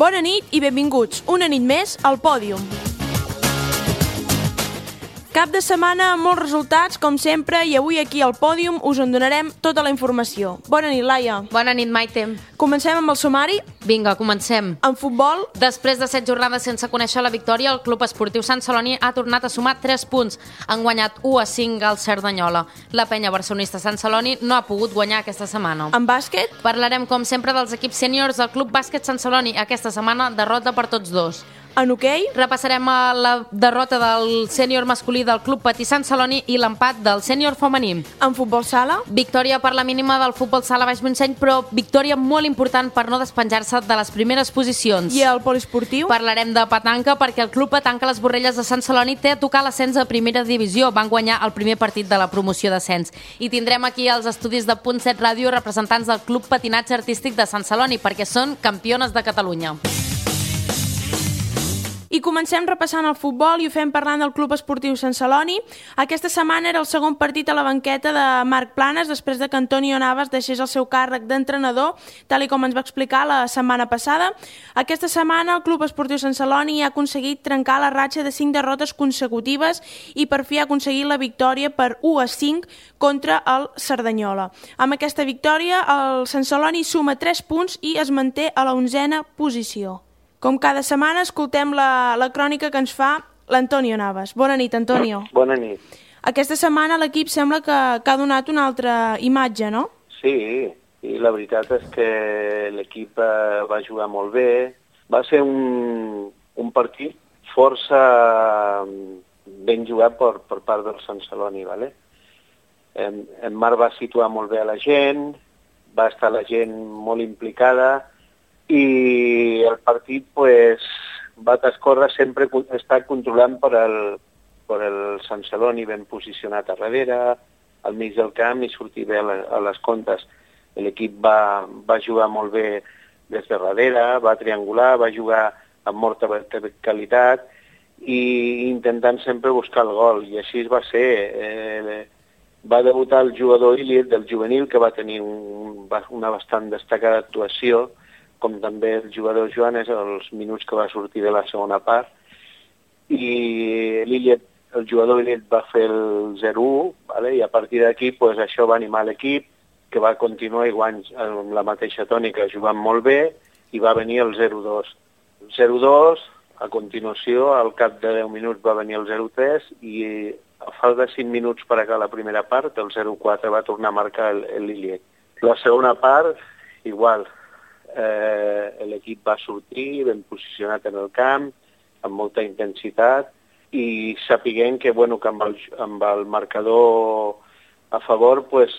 Bona nit i benvinguts una nit més al Pòdium. Cap de setmana amb molts resultats, com sempre, i avui aquí al Pòdium us en donarem tota la informació. Bona nit, Laia. Bona nit, Maite. Comencem amb el sumari. Vinga, comencem. En futbol, Després de 7 jornades sense conèixer la victòria, el Club Esportiu Sant Celoni ha tornat a sumar 3 punts. Han guanyat 1-5 al Cerdanyola. La penya barcelonista Sant Celoni no ha pogut guanyar aquesta setmana. en bàsquet, Parlarem, com sempre, dels equips sèniors del Club Bàsquet Sant Celoni. Aquesta setmana, derrota per tots dos. en hoquei, Repassarem la derrota del sènior masculí del Club Patí Sant Celoni i l'empat del sènior femení. en futbol sala, Victòria per la mínima del futbol sala Baix Montseny, però victòria molt important per no despenjar-se de les primeres posicions. i el poliesportiu. Parlarem de petanca perquè el Club Petanca Les Borrelles de Sant Celoni té a tocar l'ascens a primera divisió. Van guanyar el primer partit de la promoció d'ascens. I tindrem aquí els estudis de Punt 7 Ràdio representants del Club Patinatge Artístic de Sant Celoni perquè són campiones de Catalunya. I comencem repassant el futbol i ho fem parlant del Club Esportiu Sant Celoni. Aquesta setmana era el segon partit a la banqueta de Marc Planes després de que Antonio Navas deixés el seu càrrec d'entrenador, tal i com ens va explicar la setmana passada. Aquesta setmana el Club Esportiu Sant Celoni ha aconseguit trencar la ratxa de 5 derrotes consecutives i per fi ha aconseguit la victòria per 1-5 contra el Cerdanyola. Amb aquesta victòria el Sant Celoni suma 3 punts i es manté a la 11a posició. Com cada setmana, escoltem la crònica que ens fa l'Antonio Navas. Bona nit, Antonio. Bona nit. Aquesta setmana l'equip sembla que ha donat una altra imatge, no? Sí, i la veritat és que l'equip va jugar molt bé. Va ser un partit força ben jugat per part del Sant Celoni, ¿vale? En Marc va situar molt bé a la gent, va estar la gent molt implicada, i el partit pues, va transcórrer sempre estar controlant per el Sant Celoni ben posicionat a darrere, al mig del camp i sortir bé a les contes. L'equip va jugar molt bé des de darrere, va triangular, va jugar amb molta verticalitat i intentant sempre buscar el gol, i així va ser. Va debutar el jugador Iliet del juvenil, que va tenir una bastant destacada actuació, com també el jugador Joanes els minuts que va sortir de la segona part, i el jugador Iliet va fer el 0-1, ¿vale? I a partir d'aquí pues, això va animar l'equip, que va continuar igual amb la mateixa tònica, jugant molt bé, i va venir el 0-2. El 0-2, a continuació, al cap de 10 minuts va venir el 0-3, i a falta de 5 minuts per acabar la primera part, el 0-4 va tornar a marcar l'Iliet. La segona part, igual. L'equip va sortir ben posicionat en el camp, amb molta intensitat, i sapiguent que, bueno, que amb el marcador a favor pues,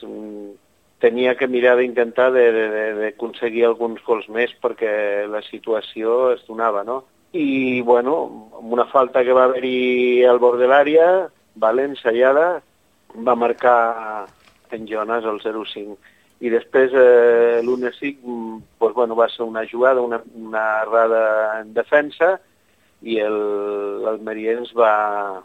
tenia que mirar d'intentar d'aconseguir alguns gols més perquè la situació es donava, no? I, bueno, amb una falta que va haver-hi al bord de l'àrea, ensaiada, va marcar en Jonas el 0-5. I després l'1-5 pues, bueno, va ser una jugada, una errada en defensa, i l'Almeriens va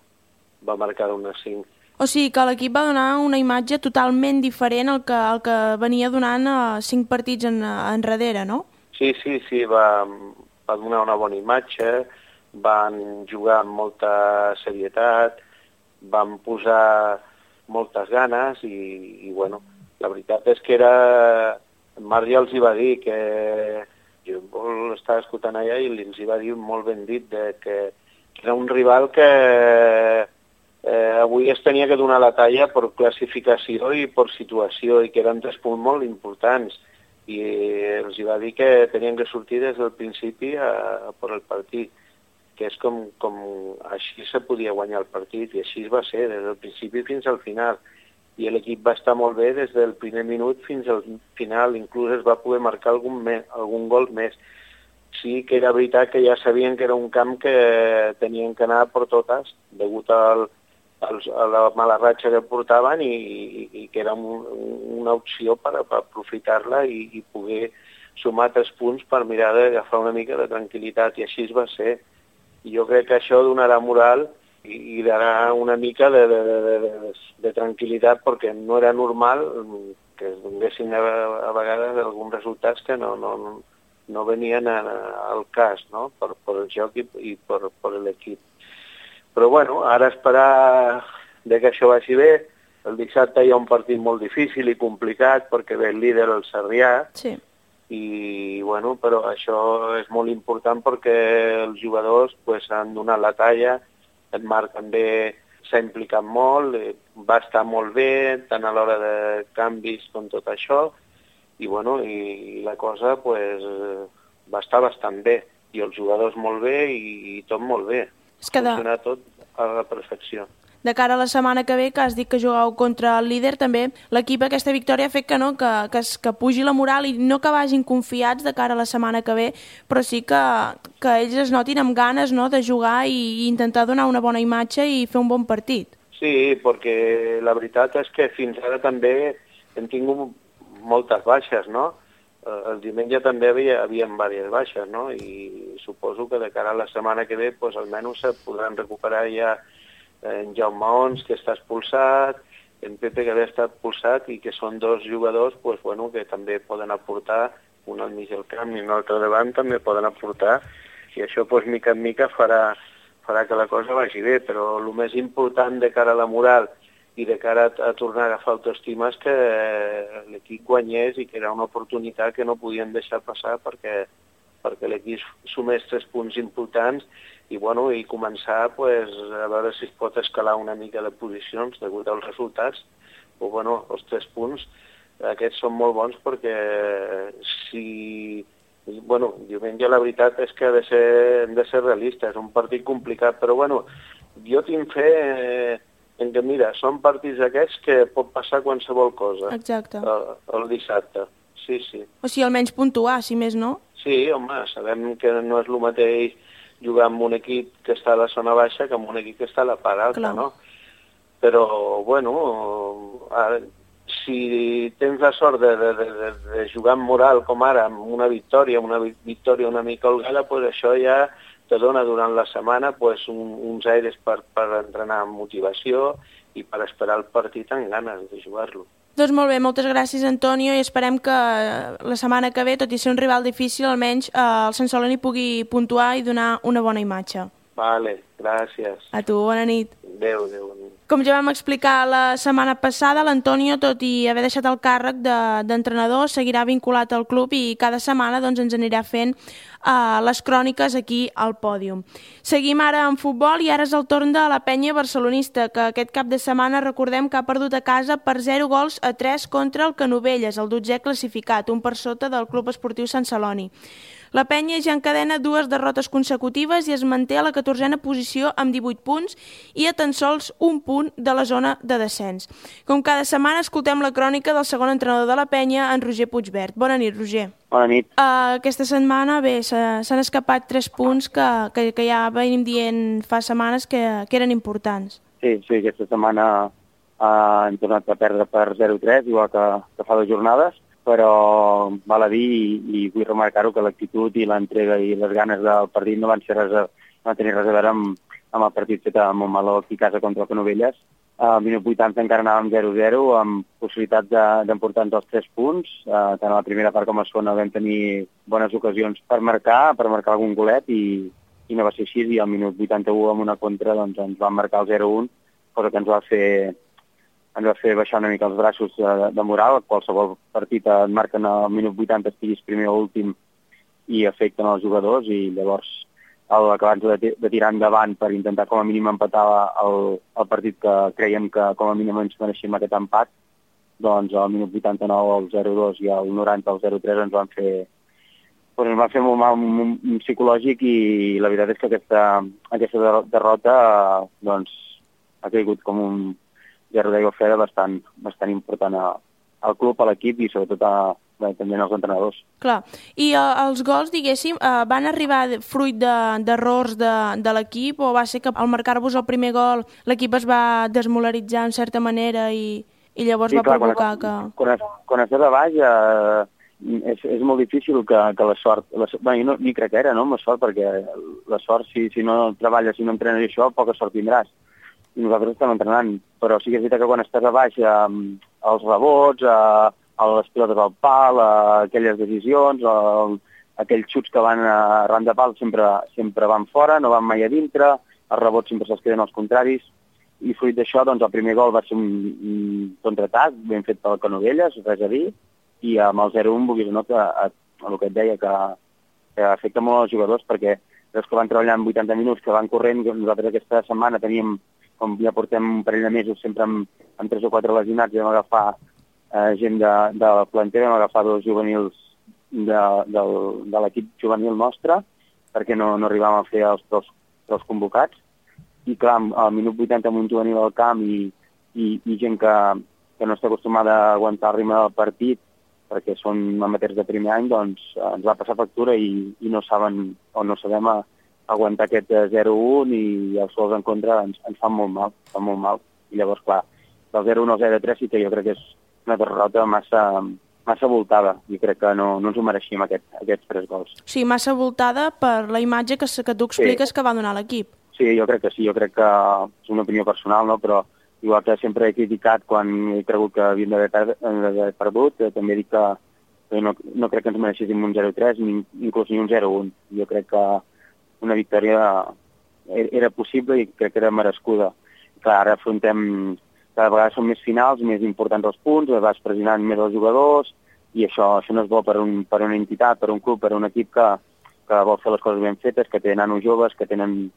marcar l'1-5. O sigui que l'equip va donar una imatge totalment diferent al que venia donant 5 partits enrere, no? Sí, va donar una bona imatge, van jugar amb molta serietat, van posar moltes ganes i bueno, la veritat és que Marc ja els hi va dir que jo l'estava escoltant allà i els hi va dir molt ben dit que era un rival que avui es tenia que donar la talla per classificació i per situació, i que eren 3 punts molt importants, i els hi va dir que tenien que sortir des del principi a per el partit, que és com així se podia guanyar el partit, i així va ser des del principi fins al final. I l'equip va estar molt bé des del primer minut fins al final, inclús es va poder marcar algun gol més. Sí que era veritat que ja sabien que era un camp que tenien que anar per totes, degut a la mala ratxa que portaven, i que era una opció per aprofitar-la i poder sumar 3 punts per mirar d'agafar una mica de tranquil·litat, i així va ser. I jo crec que això donarà moral i darà una mica de tranquil·litat, perquè no era normal que es donessin a vegades alguns resultats que no no venien al cas, no? Per el joc i per l'equip. Però bueno, ara esperar que això vagi bé. El dissabte hi ha un partit molt difícil i complicat perquè ve el líder, el Sarrià, Sí. i bueno, però això és molt important perquè els jugadors pues, han donat la talla. En Marc també s'ha implicat molt, va estar molt bé, tant a l'hora de canvis com tot això, i bueno, i la cosa pues, va estar bastant bé, i els jugadors molt bé i tot molt bé. És que Funciona tot a la perfecció. de cara a la setmana que ve, que has dit que jugueu contra el líder, també l'equip aquesta victòria ha fet que, no, que pugi la moral i no que vagin confiats de cara a la setmana que ve, però sí que ells es notin amb ganes, no, de jugar i intentar donar una bona imatge i fer un bon partit. Sí, perquè la veritat és que fins ara també hem tingut moltes baixes, no? El diumenge també havia diverses baixes, no? I suposo que de cara a la setmana que ve pues, almenys se podran recuperar ja en Jaume Ons, que està expulsat, en Pepe, que havia estat expulsat, i que són dos jugadors pues, bueno, que també poden aportar, un al mig del camp i un altre davant també poden aportar, i això pues, mica en mica farà que la cosa vagi bé, però el més important de cara a la moral i de cara a tornar a agafar autoestima és que l'equip guanyés i que era una oportunitat que no podien deixar passar perquè l'equip sumés 3 punts importants i, bueno, i començar pues, a veure si es pot escalar una mica de posicions degut als resultats. Però, bueno, els 3 punts aquests són molt bons perquè si... Bueno, diumenge la veritat és que hem de ser realistes, és un partit complicat, però bueno, jo tinc fe en que, mira, són partits aquests que pot passar qualsevol cosa. Exacte. El dissabte, sí. O sigui, almenys puntuar, si més no. Sí, home, sabem que no és el mateix jugar amb un equip que està a la zona baixa que amb un equip que està a la part alta, clar, no? Però, bueno, si tens la sort de jugar amb moral com ara, amb una victòria una mica holgada, pues això ja te dona durant la setmana pues, uns aires per entrenar amb motivació i per esperar el partit amb ganes de jugar-lo. Doncs molt bé, moltes gràcies, Antonio, i esperem que la setmana que ve, tot i ser un rival difícil, almenys el Sant Celoni pugui puntuar i donar una bona imatge. Vale, gràcies. A tu, bona nit. Adéu. Com ja vam explicar la setmana passada, l'Antonio, tot i haver deixat el càrrec d'entrenador, seguirà vinculat al club i cada setmana doncs, ens anirà fent les cròniques aquí al pòdium. Seguim ara en futbol i ara és el torn de la penya barcelonista, que aquest cap de setmana recordem que ha perdut a casa per 0-3 contra el Canovelles, el 12è classificat, un per sota del Club Esportiu Sant Celoni. La penya ja encadena 2 derrotes consecutives i es manté a la 14a posició amb 18 punts i a tan sols un punt de la zona de descens. Com cada setmana escoltem la crònica del segon entrenador de la penya, en Roger Puigvert. Bona nit, Roger. Bona nit. Aquesta setmana, bé, s'han escapat 3 punts que ja venim dient fa setmanes que eren importants. Sí, aquesta setmana hem tornat a perdre per 0-3, igual que fa 2 jornades, però val a dir i vull remarcar-ho que l'actitud i l'entrega i les ganes del partit no van tenir res a veure amb el partit fet a Montmeló aquí a casa contra el Canovelles. Al minut 80 encara anàvem 0-0 amb possibilitat d'emportar-nos els 3 punts. Tant a la primera part com a la segona vam tenir bones ocasions per marcar algun golet i no va ser així, i al minut 81 amb una contra doncs, ens van marcar el 0-1, cosa que ens va fer baixar una mica els braços de moral. Qualsevol partit et marquen al minut 80, estiguis primer o últim, i afecten els jugadors, i llavors abans de tirar endavant per intentar com a mínim empatar el partit que creiem que com a mínim ens mereixem aquest empat, doncs al minut 89 el 0-2 i al 90 el 0-3 ens van fer molt mal psicològic, i la veritat és que aquesta derrota doncs, ha caigut com un gerro d'aigua freda bastant important al club, a l'equip i sobretot també als entrenadors. Clar, i els gols, diguéssim, van arribar fruit d'errors de l'equip, o va ser que al marcar-vos el primer gol l'equip es va desmolaritzar en certa manera i llavors va provocar que... Quan estàs a baix és molt difícil que la sort... Jo ni crec que era, no?, amb la sort, perquè la sort, si no treballes, si no entrenes això, poca sort tindràs. I nosaltres estem entrenant, però sí que és veritat que quan estàs a baix, els rebots, les pilotes al pal, aquelles decisions, aquells xuts que van arran de pal sempre van fora, no van mai a dintre, els rebots sempre se'ls queden als contraris, i fruit d'això, doncs, el primer gol va ser un contraatac ben fet pel Canovelles, res a dir, i amb el 0-1 vulguis o no, que el que et deia, que afecta molt els jugadors, perquè els que van treballant 80 minuts, que van corrent, nosaltres aquesta setmana teníem, com ja portem un parell de mesos, sempre amb 3 o 4 lesionats, vam agafar gent de la planter, vam agafar 2 juvenils de l'equip juvenil nostre, perquè no arribàvem a fer els convocats. I clar, al minut 80 amb un juvenil al camp i gent que no està acostumada a aguantar el ritme del partit, perquè són amateurs de primer any, doncs ens va passar factura i no saben o no sabem aguantar aquest 0-1 i els gols en contra ens fan molt mal. I llavors, clar, del 0-1 al 0-3 sí que jo crec que és una derrota massa voltada i crec que no ens ho mereixíem aquests 3 gols. Sí, massa voltada per la imatge que tu expliques que va donar l'equip. Sí, jo crec que sí, jo crec que és una opinió personal, no? Però igual que sempre he criticat quan he cregut que havíem d'haver perdut, també dic que no crec que ens mereixéssim un 0-3, inclús ni un 0-1. Jo crec que una victòria era possible i crec que era merescuda. Clar, ara afrontem, cada vegada són més finals, més importants els punts, vas pressionant més els jugadors, i això no és bo per una entitat, per un club, per un equip que vol fer les coses ben fetes, que té nanos joves, que tenen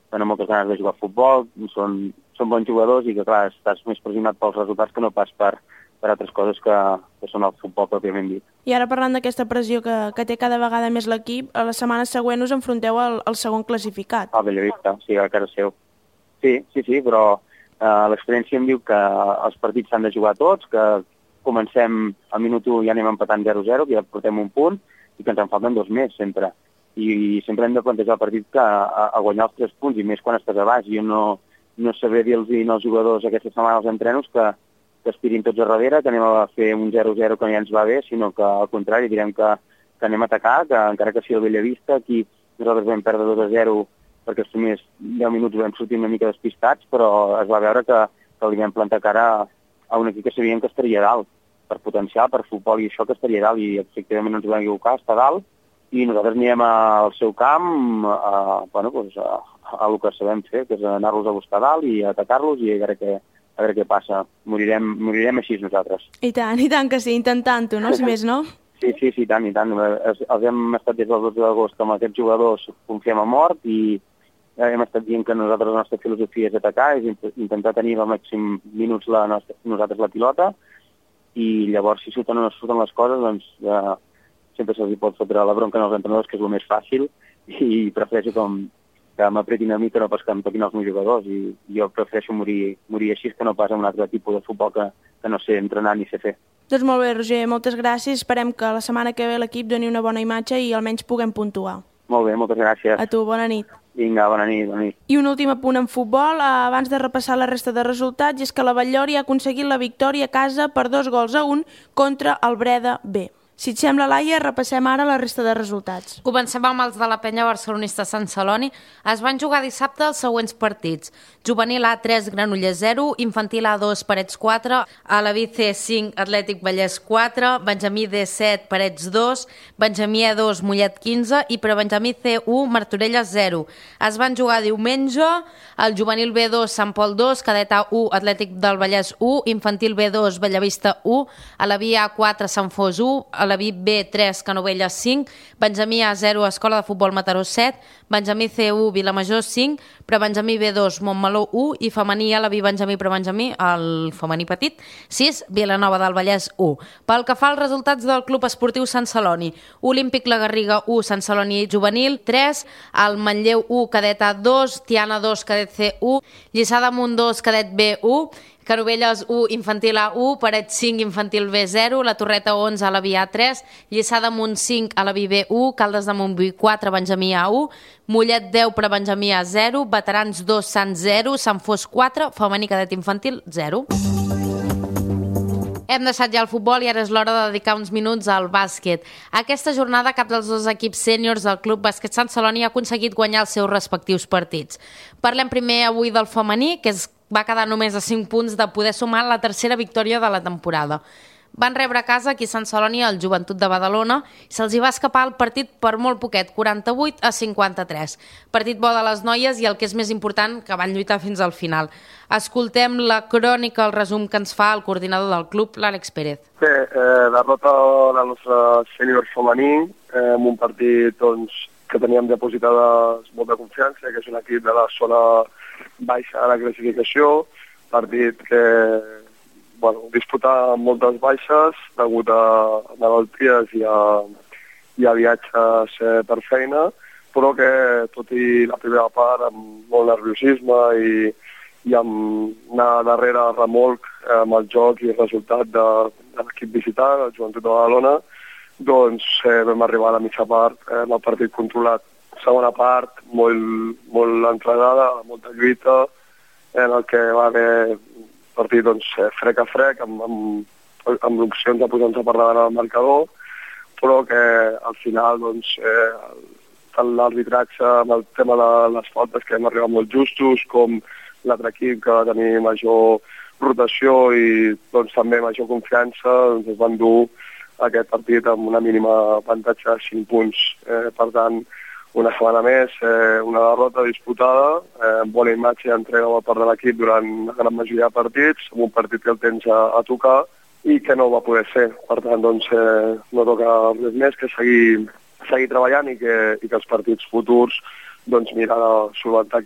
moltes ganes de jugar a futbol, són bons jugadors i que, clar, estàs més pressionat pels resultats que no pas per altres coses que són el futbol pròpiament dit. I ara parlant d'aquesta pressió que té cada vegada més l'equip, a la setmana següent us enfronteu al segon classificat. Al Bellavista, sí, a casa seu. Sí, però l'experiència em diu que els partits s'han de jugar tots, que comencem al minut 1 i ja anem empatant 0-0, que ja portem un punt, i que ens en falten 2 més, sempre. I sempre hem de plantejar el partit a guanyar els 3 punts, i més quan estàs a baix. Jo no sabré dir-los als jugadors aquesta setmana als entrenos que aspirin tots a darrere, que anem a fer un 0-0 que ja ens va bé, sinó que al contrari direm que anem a atacar, que encara que sigui el Bellavista, aquí nosaltres vam perdre 2-0 perquè els primers 10 minuts vam sortir una mica despistats, però es va veure que li vam plantar cara a un equip que sabíem que estaria dalt, per potencial, per futbol i això que estaria dalt, i efectivament no ens vam equivocar, està dalt, i nosaltres anirem al seu camp a el que sabem fer, que és anar-los a buscar dalt i atacar-los i a veure què passa. Morirem així nosaltres. I tant que sí, intentant-ho, no? Si més no? Sí, i tant. Els hem estat des del 12 d'agost amb aquests jugadors, confiem a mort, i hem estat dient que nosaltres la nostra filosofia és atacar, és intentar tenir al màxim minuts nosaltres la pilota, i llavors si surten o no surten les coses, doncs sempre se'ls pot fotre la bronca als entrenadors, que és el més fàcil, i prefereixo que m'apretin a mi que no pas que em toquin els meus jugadors, i jo prefereixo morir així que no pas amb un altre tipus de futbol que no sé entrenar ni sé fer. Doncs molt bé, Roger, moltes gràcies. Esperem que la setmana que ve l'equip doni una bona imatge i almenys puguem puntuar. Molt bé, moltes gràcies. A tu, bona nit. Vinga, bona nit. I un últim apunt en futbol, abans de repassar la resta de resultats, és que la Batllori ha aconseguit la victòria a casa per 2-1 contra el Breda B. Si et sembla, Laia, repassem ara la resta de resultats. Comencem amb els de la penya barcelonista Sant Celoni. Es van jugar dissabte els següents partits. Juvenil A 3, Granollers 0, Infantil A2, Parets 4, Alaví C 5, Atlètic Vallès 4, Benjamí D 7, Parets 2, Benjamí E2, Mollet 15 i per Benjamí C1, Martorelles 0. Es van jugar diumenge el Juvenil B2, Sant Pol 2, Cadet A1, Atlètic del Vallès 1, Infantil B2, Bellavista 1, Alaví A4, Sant Fos 1, Alaví B3, Canovelles 5, Benjamí A0, Escola de Futbol Mataró 7, Benjamí C1, Vilamajor 5, Prebenjamí B2, Montmeló 1 i femení Alaví Benjamí Prebenjamí, el femení petit, 6, Vilanova del Vallès 1. Pel que fa als resultats del Club Esportiu Sant Celoni, Olímpic La Garriga 1, Sant Celoni Juvenil 3, el Manlleu 1, Cadet A2, Tiana 2, Cadet C1, Lliçà d'Amunt 2, Cadet B1, Canovelles 1, Infantil A1, Parets 5, Infantil B0, La Torreta 11, Alaví A3, Lliçà d'Amunt 5, Alaví B1, Caldes de Montbui 4, Benjamí A1, Mollet 10, Prebenjamí A0, Veterans 2, Sant 0, Sant Fos 4, Femení Cadet Infantil 0. Hem deixat ja el futbol i ara és l'hora de dedicar uns minuts al bàsquet. Aquesta jornada cap dels dos equips sèniors del Club Bàsquet Sant Celoni ha aconseguit guanyar els seus respectius partits. Parlem primer avui del femení, que va quedar només a 5 punts de poder sumar la tercera victòria de la temporada. van rebre a casa aquí a Sant Celoni el Joventut de Badalona i se'ls hi va escapar el partit per molt poquet, 48-53. Partit bo de les noies i el que és més important, que van lluitar fins al final. Escoltem la crònica, el resum que ens fa el coordinador del club, l'Àlex Pérez. Bé, derrota del nostre sènior femení, en un partit que teníem depositada molta confiança, que és un equip de la zona baixa de la classificació, partit que disputar moltes baixes degut a malalties i a viatges per feina, però que tot i la primera part amb molt nerviosisme i amb anar darrere remolc amb el joc i el resultat de l'equip visitant, el Joventut de Badalona, vam arribar a la mitja part amb el partit controlat. Segona part, molt entregada, molta lluita, en el que va haver partit frec a frec, amb l'opcions de posar-nos per davant al marcador, però que al final tant l'arbitratge amb el tema de les faltes que hem arribat molt justos, com l'altre equip que va tenir major rotació i també major confiança, es van dur aquest partit amb una mínima avantatge de 5 punts. Per tant, una setmana més, una derrota disputada, amb bona imatge i entrega per part de l'equip durant la gran majoria de partits, amb un partit que el tens a tocar i que no va poder ser. Per tant, no toca res més que seguir treballant i que els partits futurs mirar de solventar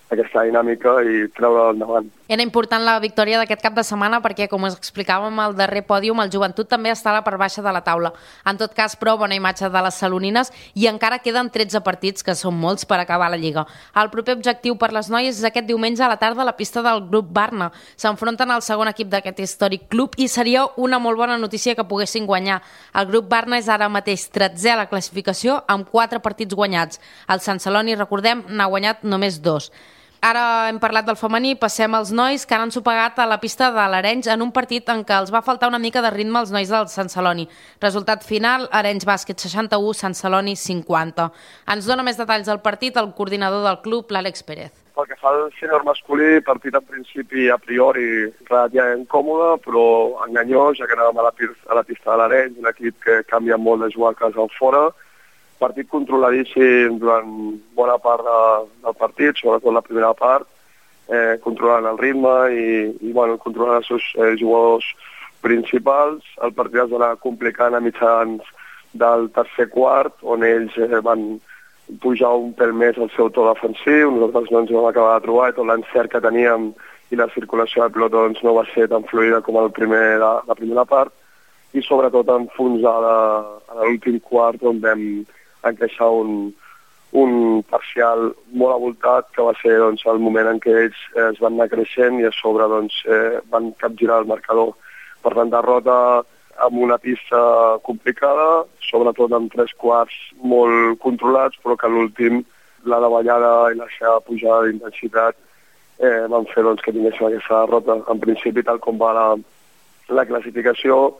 aquesta dinàmica i treure endavant. Era important la victòria d'aquest cap de setmana perquè, com us explicàvem al darrer pòdium, el Joventut també està a la part baixa de la taula. En tot cas, però, bona imatge de les salonines i encara queden 13 partits, que són molts, per acabar la Lliga. El proper objectiu per les noies és aquest diumenge a la tarda a la pista del grup Barna. S'enfronten al segon equip d'aquest històric club i seria una molt bona notícia que poguessin guanyar. El grup Barna és ara mateix 13è a la classificació amb 4 partits guanyats. El Sant Celoni, recordem, n'ha guanyat només 2. Ara hem parlat del femení, passem als nois que ara han sopegat a la pista de l'Arenys en un partit en què els va faltar una mica de ritme als nois del Sant Celoni. Resultat final, Arenys Bàsquet 61, Sant Celoni 50. Ens dona més detalls del partit el coordinador del club, l'Àlex Pérez. Pel que fa al sènior masculí, partit en principi a priori relativament còmode, però enganyós, ja que anàvem a la pista de l'Arenys, un equip que canvia molt de jugar a casa o fora. Partit controladíssim durant bona part del partit, sobretot la primera part, controlant el ritme i controlant els seus jugadors principals. El partit es va anar complicant a mitjans del tercer quart, on ells van pujar un pèl més al seu to defensiu, nosaltres no ens vam acabar de trobar i tot l'encert que teníem i la circulació de pilota no va ser tan fluida com la primera part i sobretot enfonsada a l'últim quart on vam encaixar un parcial molt avoltat que va ser el moment en què ells es van anar creixent i a sobre van capgirar el marcador. Per tant, derrota amb una pista complicada, sobretot amb 3 quarts molt controlats, però que a l'últim la davallada i la seva pujada d'intensitat van fer que tinguéssim aquesta derrota. En principi, tal com va la classificació,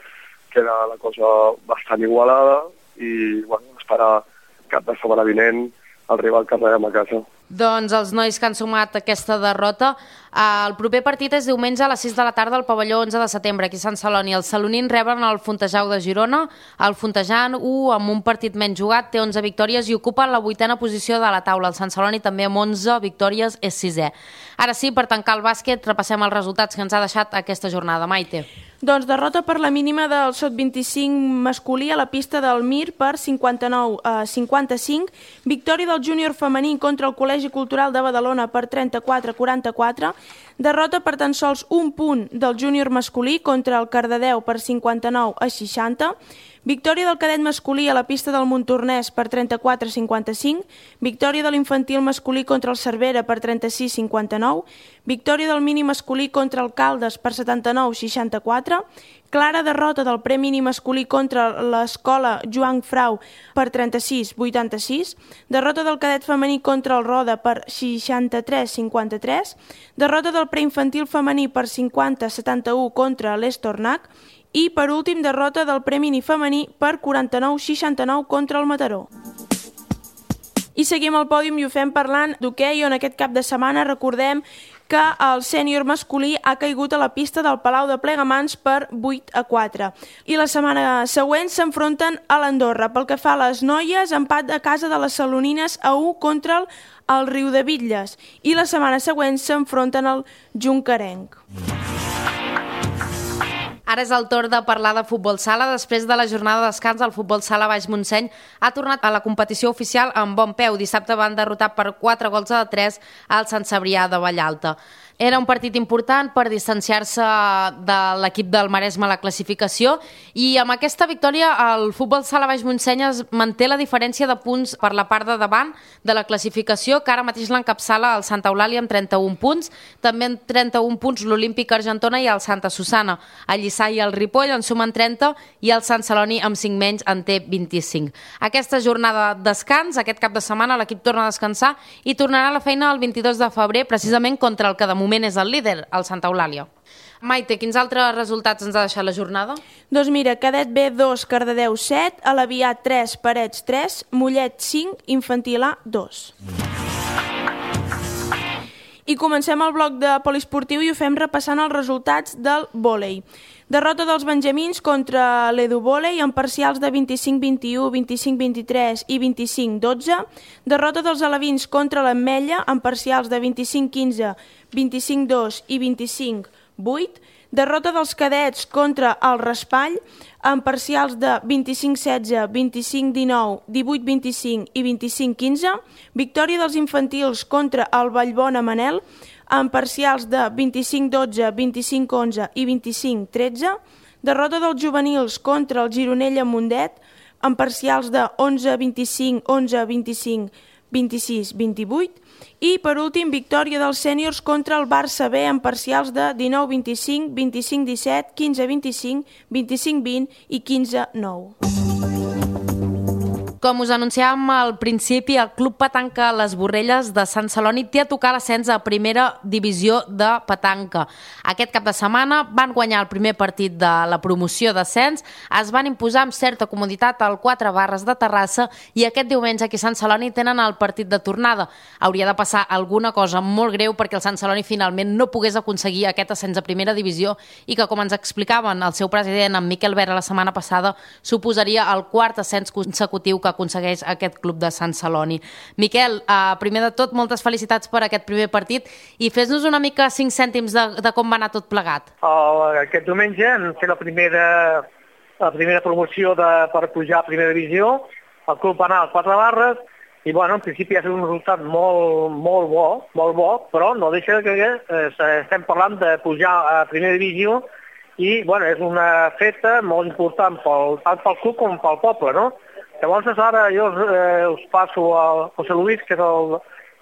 queda la cosa bastant igualada i esperar cap de setmana vinent el rival que rebem a casa. Doncs els nois que han sumat aquesta derrota, el proper partit és diumenge a les 6 de la tarda al pavelló 11 de setembre, aquí a Sant Celoni. Els salonins reben el Fontejau de Girona. El Fontejant, amb un partit menys jugat, té 11 victòries i ocupa la 8a posició de la taula. El Sant Celoni també amb 11 victòries és 6è. Ara sí, per tancar el bàsquet, repassem els resultats que ens ha deixat aquesta jornada. Maite. Doncs derrota per la mínima del sub-25 masculí a la pista del Mir per 59-55, victòria del júnior femení contra el Col·legi Cultural de Badalona per 34-44, derrota per tan sols un punt del júnior masculí contra el Cardedeu per 59-60, victòria del cadet masculí a la pista del Montornès per 34-55, victòria de l'infantil masculí contra el Cervera per 36-59, victòria del mini masculí contra el Caldes per 79-64, clara derrota del pre-mini masculí contra l'escola Joan Frau per 36-86, derrota del cadet femení contra el Roda per 63-53, derrota del preinfantil femení per 50-71 contra l'Estornac i, per últim, derrota del pre-mini femení per 49-69 contra el Mataró. I seguim al pòdium i ho fem parlant d'hoquei, on aquest cap de setmana recordem que el sènior masculí ha caigut a la pista del Palau de Plegamans per 8-4. I la setmana següent s'enfronten a l'Andorra. Pel que fa a les noies, empat a casa de les salonines a 1 contra el Riudebitlles. I la setmana següent s'enfronten al Juncarenc. Ara és el torn de parlar de futbol sala. Després de la jornada de descans, el futbol sala Baix Montseny ha tornat a la competició oficial amb bon peu. Dissabte van derrotar per 4-3 al Sant Cebrià de Vallalta. Era un partit important per distanciar-se de l'equip del Maresme a la classificació i amb aquesta victòria el futbol sala Baix Montseny es manté la diferència de punts per la part de davant de la classificació, que ara mateix l'encapçala el Santa Eulàlia amb 31 punts, també amb 31 punts l'Olímpic Argentona i el Santa Susana. El Lliçà i el Ripoll en sumen 30 i el Sant Celoni amb 5 menys en té 25. Aquesta jornada de descans, aquest cap de setmana l'equip torna a descansar i tornarà a la feina el 22 de febrer precisament contra el que de moment és el líder, el Santa Eulàlia. Maite, quins altres resultats ens ha deixat la jornada? Doncs mira, Cadet B 2, Cardedeu 7, Alavià 3, Parets 3, Mollet 5, Infantil A 2. I comencem el bloc de poliesportiu i ho fem repassant els resultats del vòlei. Derrota dels benjamins contra l'Edu Vòlei en parcials de 25-21, 25-23 i 25-12. Derrota dels alevins contra l'Ametlla en parcials de 25-15, 25-2 i 25-8. Derrota dels cadets contra el Raspall en parcials de 25-16, 25-19, 18-25 i 25-15. Victòria dels infantils contra el Vallbona Manel en parcials de 25-12, 25-11 i 25-13. Derrota dels juvenils contra el Gironella Mundet en parcials de 11-25, 11-25, 26-28. I, per últim, victòria dels sèniors contra el Barça B en parcials de 19-25, 25-17, 15-25, 25-20 i 15-9. Com us anunciàvem al principi, el Club Petanca Les Borrelles de Sant Celoni té a tocar l'ascens a primera divisió de petanca. Aquest cap de setmana van guanyar el primer partit de la promoció d'ascens, es van imposar amb certa comoditat al 4 Barres de Terrassa i aquest diumenge aquí a Sant Celoni tenen el partit de tornada. Hauria de passar alguna cosa molt greu perquè el Sant Celoni finalment no pogués aconseguir aquest ascens a primera divisió i que, com ens explicaven el seu president, en Miquel Vera, la setmana passada, suposaria el quart ascens consecutiu que aconsegueix aquest club de Sant Celoni. Miquel, primer de tot, moltes felicitats per aquest primer partit i fes-nos una mica 5 cèntims de com va anar tot plegat. Aquest diumenge hem fet la primera promoció per pujar a primera divisió. El club va anar als 4 Barres i, en principi ha estat un resultat molt bo, però no deixa que estem parlant de pujar a primera divisió i, és una feta molt important tant pel club com pel poble, no? Llavors, ara jo us passo al José Luis, que és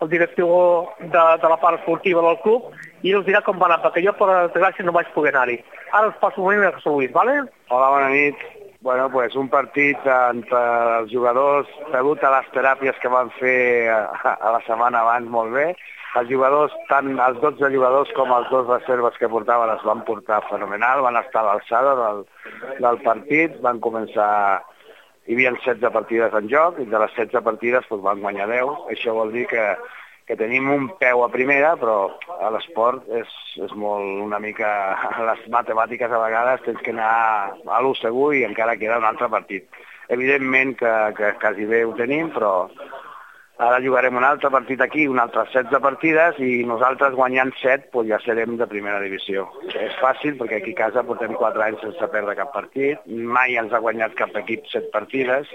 el director de la part esportiva del club, i us dirà com va anar, perquè jo, per desgràcia, no vaig poder anar-hi. Ara us passo un moment al José Luis, ¿vale? Hola, bona nit. Un partit entre els jugadors degut a les teràpies que van fer a la setmana abans molt bé. Els jugadors, tant els 12 jugadors com els 2 reserves que portaven es van portar fenomenal, van estar a l'alçada del partit, van començar... Hi havia 16 partides en joc i de les 16 partides van guanyar 10. Això vol dir que tenim un peu a primera, però a l'esport és molt una mica... A les matemàtiques a vegades tens que anar a l'1 segur i encara queda un altre partit. Evidentment que quasi bé ho tenim, però ara jugarem un altre partit aquí, un altre 16 partides i nosaltres guanyant 7 ja serem de primera divisió. És fàcil perquè aquí a casa portem 4 anys sense perdre cap partit, mai ens ha guanyat cap equip 7 partides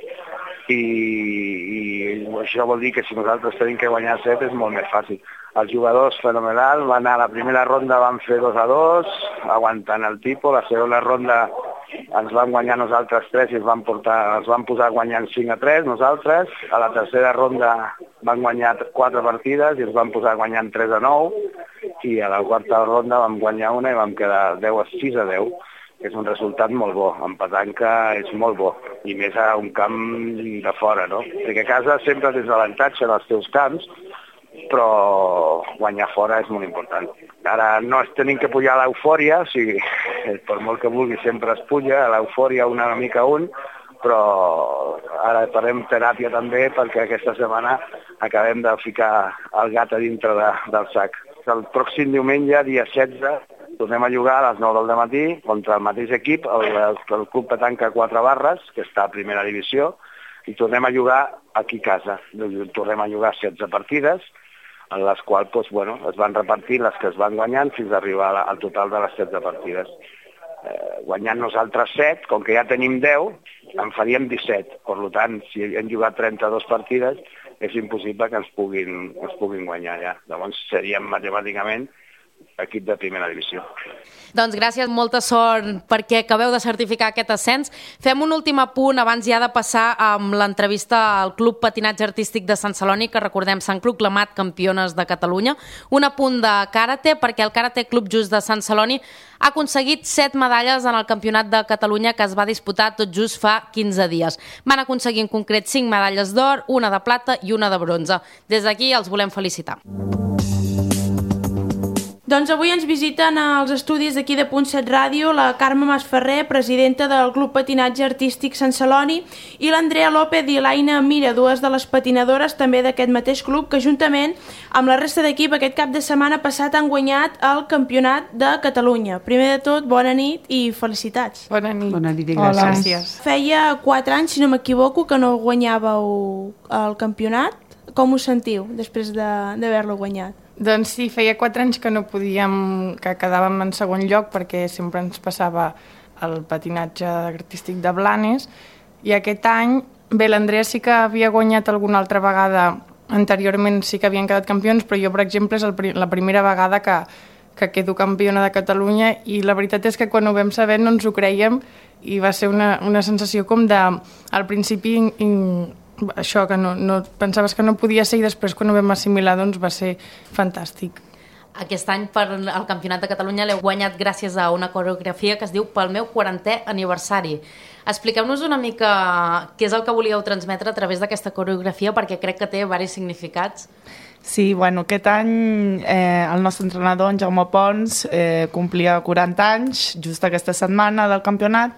i això vol dir que si nosaltres tenim que guanyar 7 és molt més fàcil. Els jugadors fenomenal, van anar a la primera ronda, van fer 2-2, aguantant el tipus, la segona ronda ens van guanyar nosaltres 3 i ens van posar guanyant 5-3 nosaltres. A la tercera ronda van guanyar 4 partides i ens van posar guanyant 3-9 i a la quarta ronda vam guanyar una i vam quedar 6-10, que és un resultat molt bo. En petanca és molt bo, i més a un camp de fora, no? Perquè a casa sempre tens l'avantatge en els teus camps, però guanyar fora és molt important. Ara no tenim que pujar a l'eufòria, o sigui, per molt que vulgui sempre es puja, a l'eufòria una mica però ara farem teràpia també perquè aquesta setmana acabem de ficar el gat a dintre del sac. el pròxim diumenge, dia 16, tornem a jugar a les 9 del matí contra el mateix equip, el Club Petanca 4 Barres, que està a primera divisió, i tornem a jugar aquí a casa. Tornem a jugar 16 partides, en les quals es van repartir les que es van guanyant fins a arribar al total de les 16 partides. Guanyant nosaltres 7, com que ja tenim 10, en faríem 17. Per tant, si hem jugat 32 partides, és impossible que ens puguin guanyar ja. Llavors seríem matemàticament equip de primera divisió. Doncs gràcies, molta sort perquè acabeu de certificar aquest ascens. Fem un últim apunt abans ja de passar amb l'entrevista al Club Patinatge Artístic de Sant Celoni, que recordem s'han proclamat campiones de Catalunya. Un apunt de karate, perquè el Karate Club Just de Sant Celoni ha aconseguit 7 medalles en el Campionat de Catalunya que es va disputar tot just fa 15 dies. Van aconseguir en concret 5 medalles d'or, una de plata i una de bronze. Des d'aquí els volem felicitar. Doncs avui ens visiten als estudis d'aquí de Punt7 Ràdio la Carme Masferrer, presidenta del Club Patinatge Artístic Sant Celoni, i l'Andrea López i l'Aina Mira, dues de les patinadores també d'aquest mateix club, que juntament amb la resta d'equip aquest cap de setmana passat han guanyat el Campionat de Catalunya. Primer de tot, bona nit i felicitats. Bona nit. Bona nit i gràcies. Feia 4 anys, si no m'equivoco, que no guanyàveu el campionat. Com us sentiu després d'haver-lo guanyat? Doncs sí, feia 4 anys que no podíem, que quedàvem en segon lloc perquè sempre ens passava el patinatge artístic de Blanes, i aquest any, bé, l'Andrea sí que havia guanyat alguna altra vegada, anteriorment sí que havien quedat campions, però jo, per exemple, és la primera vegada que quedo campiona de Catalunya, i la veritat és que quan ho vam saber no ens ho creiem, i va ser una sensació com de, al principi, això, que no pensaves que no podia ser, i després quan ho vam assimilar doncs va ser fantàstic. Aquest any per al Campionat de Catalunya l'heu guanyat gràcies a una coreografia que es diu Pel meu 40è aniversari. Expliqueu-nos una mica què és el que volíeu transmetre a través d'aquesta coreografia, perquè crec que té diversos significats. Sí, bueno, aquest any el nostre entrenador, en Jaume Pons, complia 40 anys, just aquesta setmana del campionat,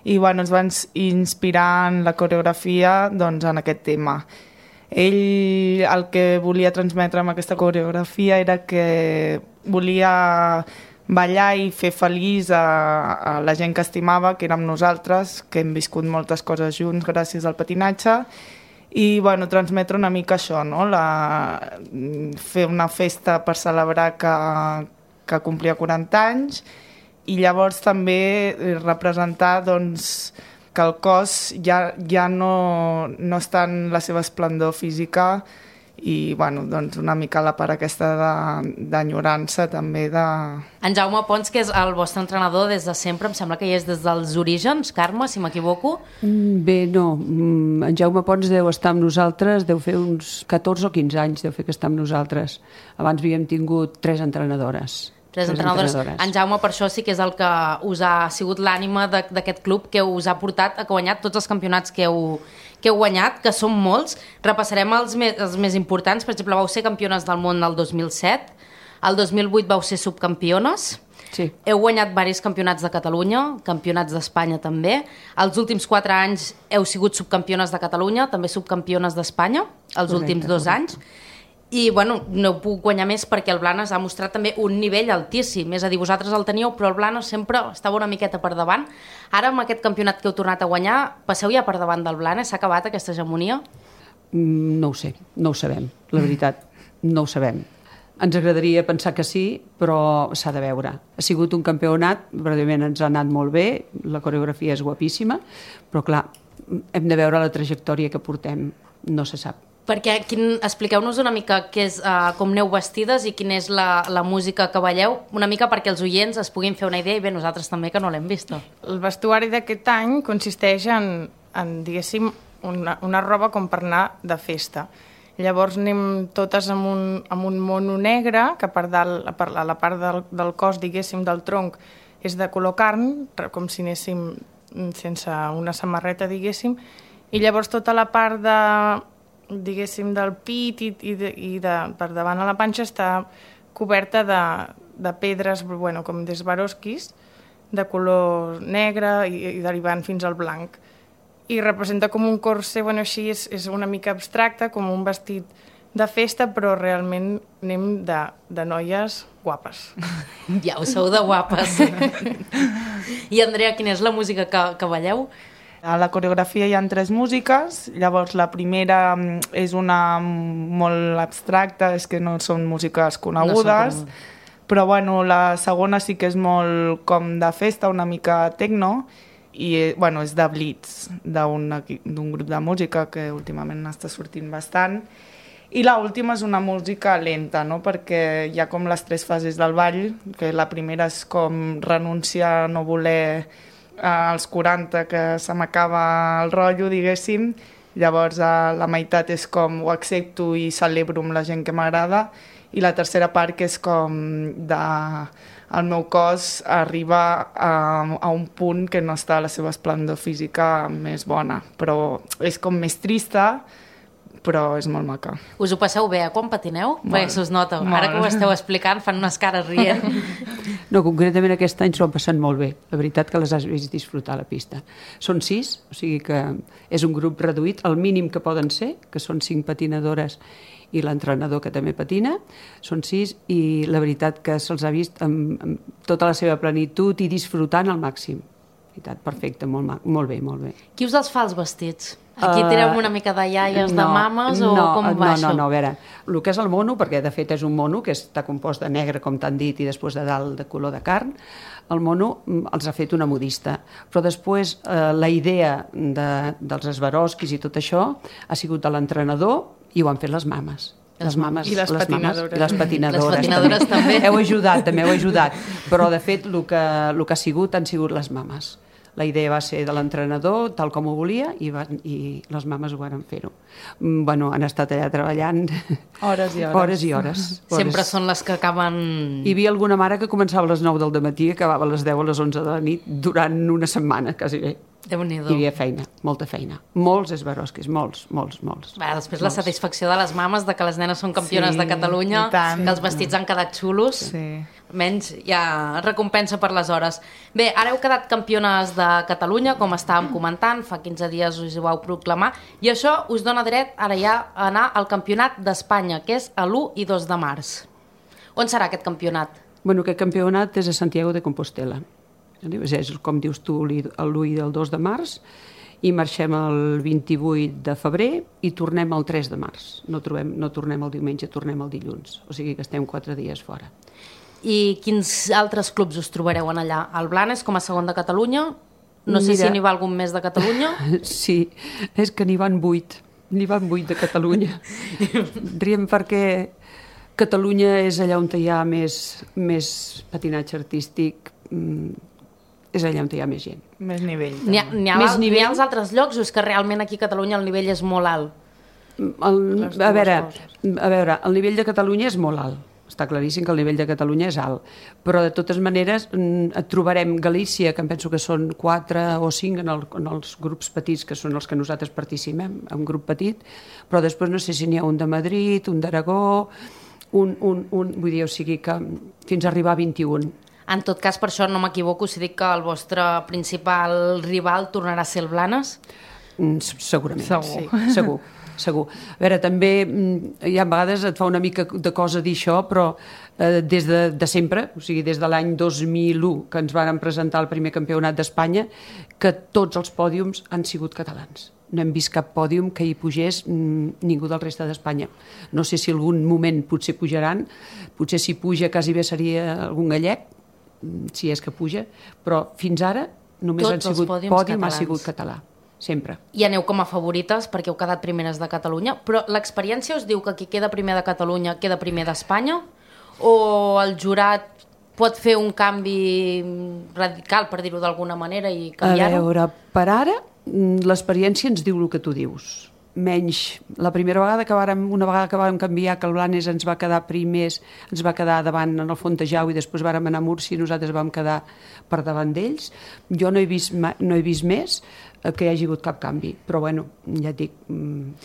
i bueno, ens van inspirar en la coreografia doncs, en aquest tema. Ell el que volia transmetre amb aquesta coreografia era que volia ballar i fer feliç a la gent que estimava, que érem nosaltres, que hem viscut moltes coses junts gràcies al patinatge, i bueno, transmetre una mica això, no? Fer una festa per celebrar que complia 40 anys, i llavors també representar doncs, que el cos ja no està en la seva esplendor física, i bueno, doncs una mica la part aquesta d'enyorança també de... En Jaume Pons, que és el vostre entrenador des de sempre, em sembla que hi és des dels orígens, Carme, si m'equivoco. Bé, no, en Jaume Pons deu estar amb nosaltres, deu fer uns 14 o 15 anys, deu fer que està amb nosaltres. Abans havíem tingut 3 entrenadores. Tres entrenadores. En Jaume, per això sí que és el que us ha sigut l'ànima d'aquest club, que us ha portat a guanyar tots els campionats que heu guanyat, que són molts. Repassarem els més importants. Per exemple, vau ser campiones del món el 2007, el 2008 vau ser subcampiones, sí. Heu guanyat diversos campionats de Catalunya, campionats d'Espanya també. Els últims 4 anys heu sigut subcampiones de Catalunya, també subcampiones d'Espanya, els últims 2 anys. I, bueno, no ho puc guanyar més perquè el Blanes ha mostrat també un nivell altíssim. És a dir, vosaltres el teníeu, però el Blanes sempre estava una miqueta per davant. Ara, amb aquest campionat que heu tornat a guanyar, passeu ja per davant del Blanes? S'ha acabat aquesta hegemonia? No ho sé, no ho sabem, la veritat. No ho sabem. Ens agradaria pensar que sí, però s'ha de veure. Ha sigut un campionat, verdaderament ens ha anat molt bé, la coreografia és guapíssima, però clar, hem de veure la trajectòria que portem, no se sap. Perquè expliqueu-nos una mica com aneu vestides i quina és la música que balleu, una mica perquè els oients es puguin fer una idea, i bé, nosaltres també, que no l'hem vist. El vestuari d'aquest any consisteix en diguéssim, una roba com per anar de festa. Llavors anem totes amb un mono negre, que per dalt, a la part del cos, diguéssim, del tronc, és de color carn, com si anéssim sense una samarreta, diguéssim, i llavors tota la part diguéssim, del pit i per davant a la panxa està coberta de pedres, bueno, com d'Swarovskis, de color negre i derivant fins al blanc. I representa com un corset, bueno, així és una mica abstracte, com un vestit de festa, però realment anem de noies guapes. Ja ho sou de guapes. I Andrea, quina és la música que balleu? A la coreografia hi ha 3 músiques, llavors la primera és una molt abstracta, és que no són músiques conegudes, però bueno, la segona sí que és molt com de festa, una mica techno, i bueno, és de Blitz, d'un grup de música que últimament està sortint bastant. I l'última és una música lenta, no? Perquè hi ha com les 3 fases del ball, que la primera és com renunciar a no voler als 40 que se m'acaba el rotllo, diguéssim. Llavors la meitat és com ho accepto i celebro amb la gent que m'agrada, i la tercera part que és com el meu cos arriba a un punt que no està a la seva esplendor física més bona, però és com més trista, però és molt maca. Us ho passeu bé, quan patineu? Molt. Perquè s'us nota. Ara que ho esteu explicant fan unes cares rient. No, concretament aquest any s'ho han passat molt bé. La veritat que les has vist disfrutar a la pista. Són 6, o sigui que és un grup reduït, el mínim que poden ser, que són 5 patinadores i l'entrenador que també patina, són 6, i la veritat que se'ls ha vist amb tota la seva plenitud i disfrutant al màxim. Veritat, perfecte, molt bé, molt bé. Qui us els fa els vestits? Aquí tireu una mica de iaies, de mames, o com va això? No, a veure, el que és el mono, perquè de fet és un mono que està compost de negre, com t'han dit, i després de dalt de color de carn, el mono els ha fet una modista. Però després la idea dels esbarosquis i tot això ha sigut de l'entrenador i ho han fet les mames. Les mames, I les patinadores. I les patinadores. Les patinadores també. Heu ajudat, però de fet el que ha sigut han sigut les mames. La idea va ser de l'entrenador, tal com ho volia, i les mames ho van fer-ho. Bueno, han estat allà treballant hores i hores. Hores i hores. Sempre són les que acaben... Hi havia alguna mare que començava a les 9 del matí i acabava a les 10 a les 11 de la nit durant una setmana, quasi bé. Déu-n'hi-do. Hi havia feina, molta feina. Molts esbarosquis, molts. Després la satisfacció de les mames de que les nenes són campiones de Catalunya, que els vestits han quedat xulos. Sí. Menys ja recompensa per les hores. Bé, ara heu quedat campiones de Catalunya, com estàvem comentant, fa 15 dies us ho vau proclamar, i això us dona dret ara ja a anar al Campionat d'Espanya, que és a l'1 i 2 de març. On serà aquest campionat? Bueno, aquest campionat és a Santiago de Compostela. És, com dius tu, l'1 i el 2 de març, i marxem el 28 de febrer i tornem el 3 de març. No tornem el diumenge, tornem el dilluns. O sigui que estem 4 dies fora. I quins altres clubs us trobareu en allà? El Blanes, com a segon de Catalunya? No sé si n'hi va algun més de Catalunya. Sí, és que n'hi van 8. N'hi van 8 de Catalunya. Riem perquè Catalunya és allà on hi ha més patinatge artístic, és allà on hi ha més gent. Més nivell. N'hi ha als altres llocs o és que realment aquí a Catalunya el nivell és molt alt? A veure, el nivell de Catalunya és molt alt. Està claríssim que el nivell de Catalunya és alt, però de totes maneres et trobarem Galícia, que em penso que són 4 o 5 en els grups petits, que són els que nosaltres participem, un grup petit, però després no sé si n'hi ha un de Madrid, un d'Aragó, vull dir, o sigui que fins a arribar a 21. En tot cas, per això no m'equivoco si dic que el vostre principal rival tornarà a ser el Blanes? Segurament, sí, segur. A veure, també hi ha vegades et fa una mica de cosa dir això, però des de sempre, o sigui, des de l'any 2001 que ens varen presentar el primer campionat d'Espanya, que tots els pòdiums han sigut catalans. No hem vist cap pòdium que hi pugés ningú del reste d'Espanya. No sé si algun moment potser pujaran, potser si puja quasi bé seria algun gallec, si és que puja, però fins ara només han sigut pòdium, ha sigut català. Sempre. I aneu com a favorites perquè heu quedat primeres de Catalunya, però l'experiència us diu que qui queda primer de Catalunya queda primer d'Espanya? O el jurat pot fer un canvi radical, per dir-ho d'alguna manera, i canviar-ho? A veure, per ara l'experiència ens diu el que tu dius. Menys la primera vegada una vegada que vàrem canviar, que el Blanes ens va quedar primers, ens va quedar davant en el Fontejau i després vàrem anar a Múrcia i nosaltres vam quedar per davant d'ells. Jo no he vist més que hi hagi hagut cap canvi, però bueno, ja et dic,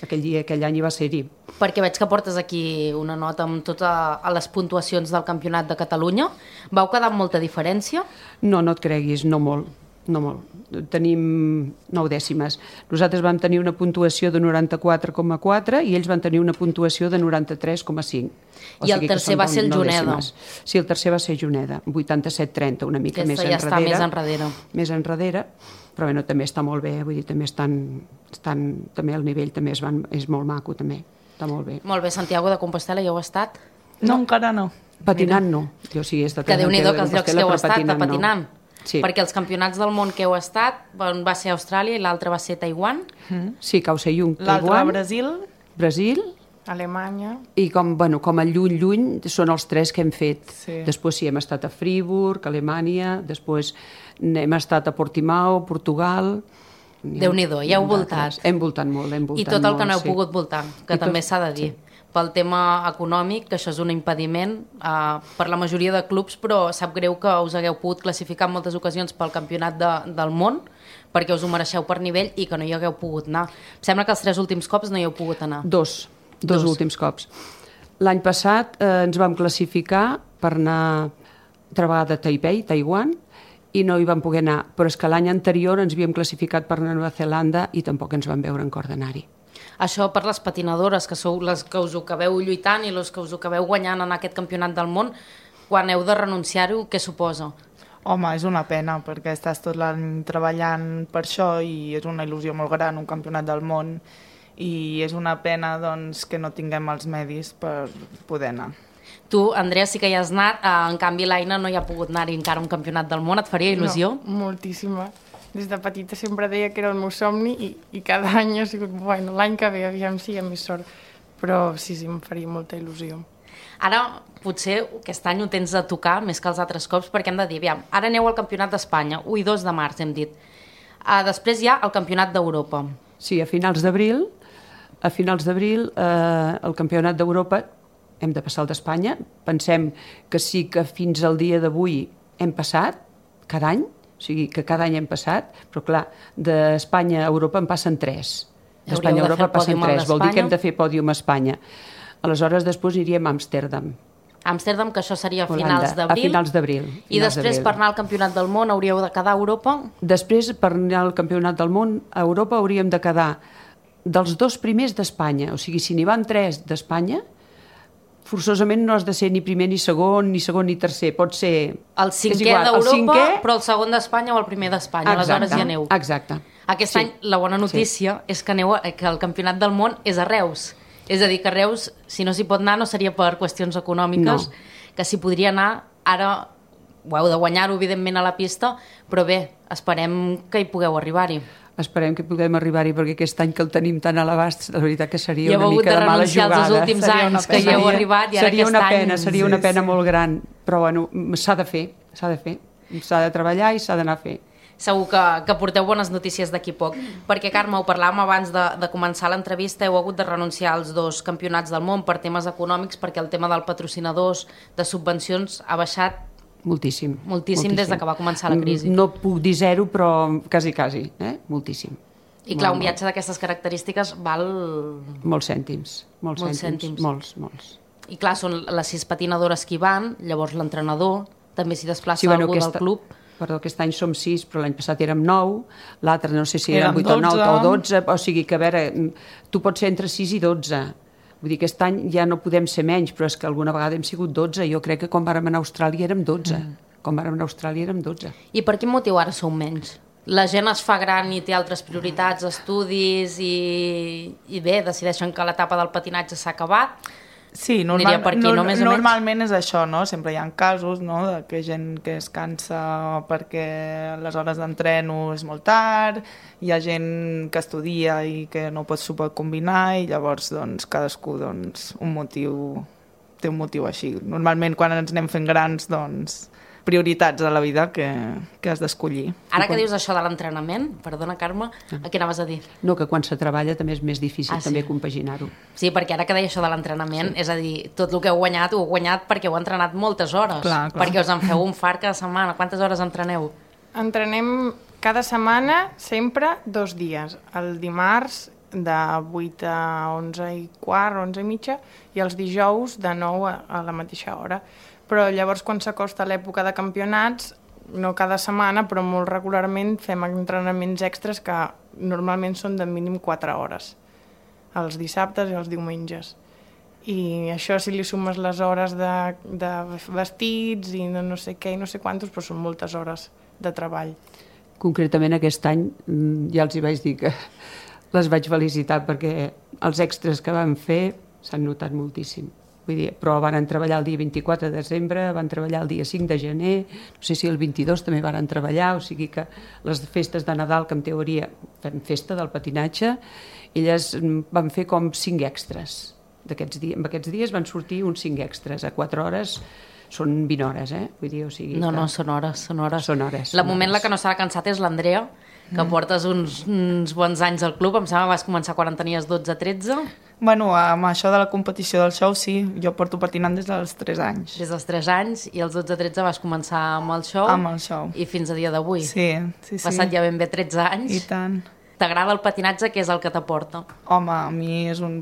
aquell any hi va ser-hi. Perquè veig que portes aquí una nota amb totes les puntuacions del Campionat de Catalunya. Vau quedar amb molta diferència? No et creguis, no molt. no molt. Tenim 9 dècimes. Nosaltres vam tenir una puntuació de 94,4 i ells van tenir una puntuació de 93,5. I el tercer va ser el Juneda. Sí, el tercer va ser Juneda, 87-30, una mica més enrere. Ja està més enrere. Més enrere, però bueno, també està molt bé, vull dir, també també el nivell també és molt maco, també. Està molt bé. Molt bé, Santiago de Compostela, ja heu estat? No, encara no. Patinant no. Jo sí he estat que Déu-n'hi-do que els llocs que heu estat patinant. Sí. Perquè els campionats del món que heu estat va ser Austràlia i l'altre va ser Taiwan. Sí, Kaohsiung, Taiwan. L'altre Brasil. Alemanya. I com a lluny són els 3 que hem fet. Sí. Després sí, hem estat a Friburg, Alemanya, després hem estat a Portimao, Portugal. Déu-n'hi-do, ja heu voltat. Hem voltat molt, I tot el que no heu pogut voltar, que també s'ha de dir. Pel tema econòmic, que això és un impediment per la majoria de clubs, però sap greu que us hagueu pogut classificar en moltes ocasions pel campionat del món, perquè us ho mereixeu per nivell i que no hi hagueu pogut anar. Em sembla que els 3 últims cops no hi heu pogut anar. Dos últims cops. L'any passat ens vam classificar per anar altra vegada a Taipei, Taiwan, i no hi vam poder anar, però és que l'any anterior ens havíem classificat per anar a Nova Zelanda i tampoc ens vam veure en cor d'anar-hi. Això per les patinadores, que sou les que us ho acabeu lluitant i les que us ho acabeu guanyant en aquest campionat del món, quan heu de renunciar-ho, què suposa? Home, és una pena, perquè estàs tot l'any treballant per això i és una il·lusió molt gran, un campionat del món, i és una pena doncs, que no tinguem els medis per poder anar. Tu, Andrea, sí que hi has anat, en canvi l'Aina no hi ha pogut anar-hi encara a un campionat del món, et faria il·lusió? No, moltíssima. Des de petita sempre deia que era el meu somni i cada any ha sigut, bueno, l'any que ve, aviam si hi ha més sort. Però sí, em faria molta il·lusió. Ara, potser aquest any ho tens de tocar més que els altres cops, perquè hem de dir, aviam, ara aneu al Campionat d'Espanya, 1 i 2 de març, hem dit. Després hi ha el Campionat d'Europa. Sí, a finals d'abril, el Campionat d'Europa hem de passar el d'Espanya. Pensem que sí que fins al dia d'avui hem passat, cada any, o sigui que cada any hem passat, però clar, d'Espanya a Europa en passen 3. D'Espanya a Europa passen 3, vol dir que hem de fer pòdium a Espanya. Aleshores, després iríem a Amsterdam. Amsterdam, que això seria a finals d'abril. A finals d'abril. I després, per anar al Campionat del Món, hauríeu de quedar a Europa? Després, per anar al Campionat del Món, a Europa hauríem de quedar dels 2 primers d'Espanya. O sigui, si n'hi van 3 d'Espanya, forçosament no has de ser ni primer ni segon ni tercer, pot ser... El 5è d'Europa, però el segon d'Espanya o el primer d'Espanya, aleshores ja aneu. Exacte. Aquest any la bona notícia és que el Campionat del Món és a Reus. És a dir, que a Reus, si no s'hi pot anar, no seria per qüestions econòmiques, que s'hi podria anar, ara ho heu de guanyar-ho, evidentment, a la pista, però bé, esperem que hi pugueu arribar-hi. Esperem que puguem arribar-hi, perquè aquest any que el tenim tan a l'abast, la veritat que seria una mica de mala jugada. Els últims anys que hi heu arribat i ara aquest any... Seria una pena molt gran, però bueno, s'ha de fer, s'ha de treballar i s'ha d'anar a fer. Segur que porteu bones notícies d'aquí poc, perquè Carme, ho parlàvem abans de començar l'entrevista, heu hagut de renunciar als 2 campionats del món per temes econòmics, perquè el tema dels patrocinadors, de subvencions, ha baixat moltíssim des de que va començar la crisi. No puc dir 0, però quasi, moltíssim. I clar, un viatge d'aquestes característiques val... Molts cèntims. Molts. I clar, són les 6 patinadores que hi van, llavors l'entrenador, també s'hi desplaça algú del club. Perdó, aquest any som 6, però l'any passat érem 9, l'altre no sé si érem 8 o 9 o 12, o sigui que, a veure, tu pots ser entre 6 i 12. Vull dir, aquest any ja no podem ser menys, però és que alguna vegada hem sigut 12. Jo crec que quan vàrem anar a Austràlia érem 12. I per quin motiu ara sou menys? La gent es fa gran i té altres prioritats, estudis, i bé, decideixen que l'etapa del patinatge s'ha acabat. Sí, normalment és això, no? Sempre hi ha casos, no?, de que gent que es cansa perquè les hores d'entreno és molt tard, hi ha gent que estudia i que no s'ho pot combinar i llavors doncs, cadascú doncs, té un motiu així. Normalment quan ens anem fent grans doncs, prioritats a la vida que has d'escollir. Ara que dius això de l'entrenament, perdona Carme, què anaves a dir? No, que quan se treballa també és més difícil també compaginar-ho. Sí, perquè ara que deia això de l'entrenament, és a dir, tot el que heu guanyat perquè heu entrenat moltes hores, perquè us en feu un fart cada setmana. Quantes hores entreneu? Entrenem cada setmana sempre 2 dies. El dimarts de 8 a 11 i quart, 11 i mitja, i els dijous de 9 a la mateixa hora. Però llavors quan s'acosta l'època de campionats no cada setmana, però molt regularment fem entrenaments extras que normalment són de mínim 4 hores, els dissabtes i els diumenges. I això, si li sumes les hores de vestits i de no sé què i no sé quantos, però són moltes hores de treball. Concretament aquest any ja els hi vaig dir que les vaig felicitar perquè els extras que van fer s'han notat moltíssim. Vull dir, però van treballar el dia 24 de desembre, van treballar el dia 5 de gener, no sé si el 22 també van treballar, o sigui que les festes de Nadal, que en teoria fem festa del patinatge, elles van fer com 5 extras. En aquests dies van sortir uns 5 extras, a 4 hores són 20 hores, Vull dir, o sigui... No, són hores. Són hores. La que no s'ha cansat és l'Andrea, que portes uns bons anys al club, em sembla que vas començar quan en tenies 12-13. Bueno, amb això de la competició del show, sí, jo porto patinant des dels 3 anys. Des dels 3 anys, i als 12-13 vas començar amb el show. Amb el show. I fins a dia d'avui. Sí. Passat ja ben bé 13 anys. I tant. T'agrada el patinatge? Què és el que t'aporta? Home,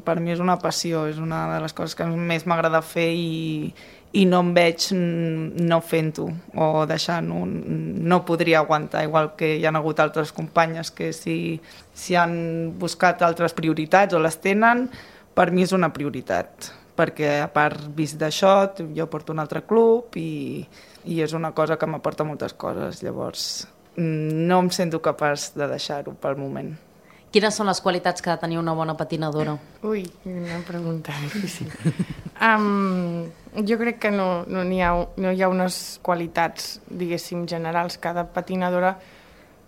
per mi és una passió, és una de les coses que més m'agrada fer i no em veig no fent-ho o deixant-ho. No podria aguantar, igual que hi ha hagut altres companyes que si han buscat altres prioritats o les tenen, per mi és una prioritat, perquè a part vist d'això, jo porto un altre club i és una cosa que m'aporta moltes coses, llavors no em sento capaç de deixar-ho pel moment. Quines són les qualitats que ha de tenir una bona patinadora? Ui, una pregunta difícil. Jo crec que no hi ha unes qualitats, diguéssim, generals. Cada patinadora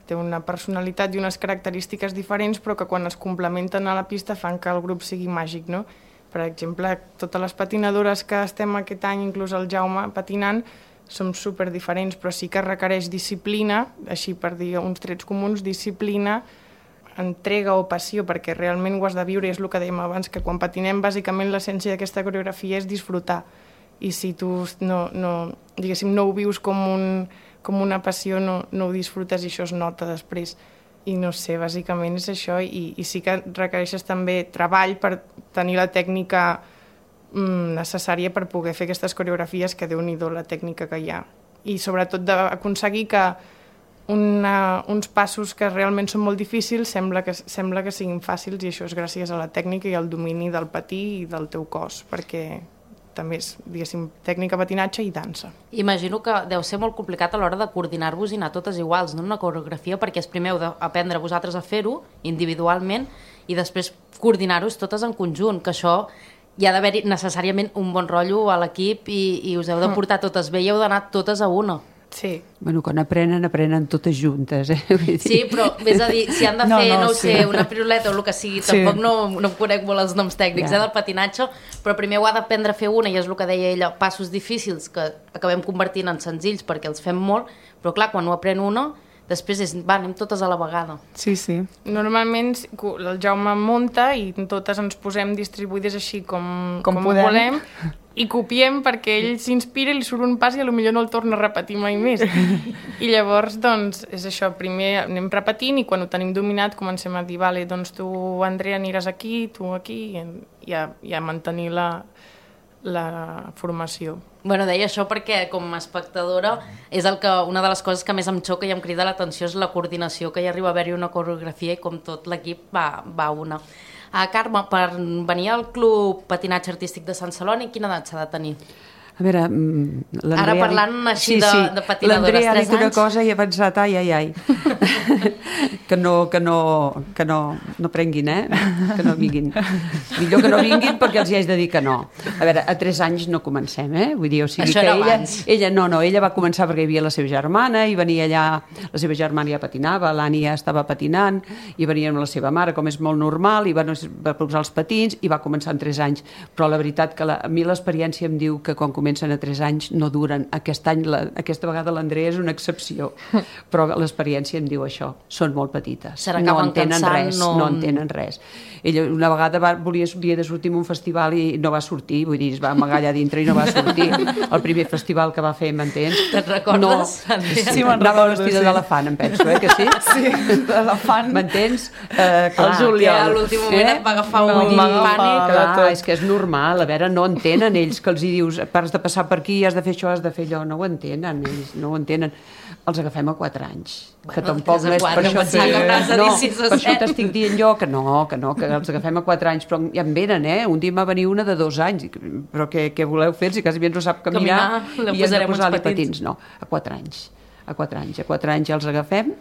té una personalitat i unes característiques diferents, però que quan es complementen a la pista fan que el grup sigui màgic, no? Per exemple, totes les patinadores que estem aquest any, inclús el Jaume patinant, som super diferents, però sí que requereix disciplina, així per dir uns trets comuns, disciplina, entrega o passió, perquè realment ho has de viure, i és el que dèiem abans, que quan patinem, bàsicament l'essència d'aquesta coreografia és disfrutar, i si tu no ho vius com una passió, no ho disfrutes i això es nota després. I no sé, bàsicament és això, i sí que requereixes també treball per tenir la tècnica necessària per poder fer aquestes coreografies, que Déu-n'hi-do la tècnica que hi ha. I sobretot d'aconseguir que uns passos que realment són molt difícils sembla que siguin fàcils, i això és gràcies a la tècnica i al domini del patí i del teu cos, perquè també és, diguéssim, tècnica, patinatge i dansa. Imagino que deu ser molt complicat a l'hora de coordinar-vos i anar totes iguals, no? Una coreografia, perquè és primer heu d'aprendre vosaltres a fer-ho individualment i després coordinar-vos totes en conjunt, que això hi ha d'haver necessàriament un bon rotllo a l'equip i us heu de portar totes bé i heu d'anar totes a una. Sí. Bueno, quan aprenen totes juntes, Vull dir. Sí, però és a dir, si han de fer, no ho sé, una piruleta o el que sigui, tampoc no em conec molt els noms tècnics del patinatge, però primer ho ha d'aprendre a fer una, i és el que deia ella, passos difícils que acabem convertint en senzills perquè els fem molt, però clar, quan ho aprèn una, després anem totes a la vegada. Sí. Normalment el Jaume munta i totes ens posem distribuïdes així com volem, i copiem perquè ell s'inspira i li surt un pas i potser no el torna a repetir mai més. I llavors, doncs, és això, primer anem repetint i quan ho tenim dominat comencem a dir, vale, doncs tu, Andrea, aniràs aquí, tu aquí, i a mantenir la formació. Bueno, deia això perquè com a espectadora és una de les coses que més em xoca i em crida l'atenció és la coordinació, que hi arriba a haver-hi una coreografia i com tot l'equip va una. Carme, per venir al Club Patinatge Artístic de Sant Celoni, quina edat s'ha de tenir? A veure, ara parlant així de patinadores, 3 anys. L'Andrea ha dit una cosa i he pensat, ai. que no prenguin, que no vinguin. Millor que no vinguin perquè els hi haig de dir que no. A veure, a 3 anys no comencem, Vull dir, o sigui això que era abans. Ella va començar perquè hi havia la seva germana i venia allà, la seva germana ja patinava, l'Anni ja estava patinant i venia amb la seva mare, com és molt normal, i va posar els patins i va començar en 3 anys. Però la veritat que a mi l'experiència em diu que quan comencen a 3 anys no duren. Aquesta vegada l'Andrea és una excepció, però l'experiència em diu això, són molt petites, no entenen res. Ella una vegada volia de sortir en un festival i no va sortir, vull dir, es va amagar allà dintre i no va sortir. El primer festival que va fer, m'entens? Te'n recordes? Sí, anava vestida d'elefant, em penso, que sí? Sí, d'elefant. M'entens? El Julià. A l'últim moment et va agafar un pànic. Clar, és que és normal, a veure, no entenen ells, que els hi dius, has de passar per aquí, has de fer això, has de fer allò, no ho entenen, ells no ho entenen. Els agafem a 4 anys. Bueno, Que tampoc no és per això... Per això t'estic dient jo que els agafem a 4 anys, però ja en venen, Un dia va venir una de 2 anys, però què voleu fer? Si quasi bé no sap caminar i hem de posar-li patins. No, a 4 anys. A 4 anys ja els agafem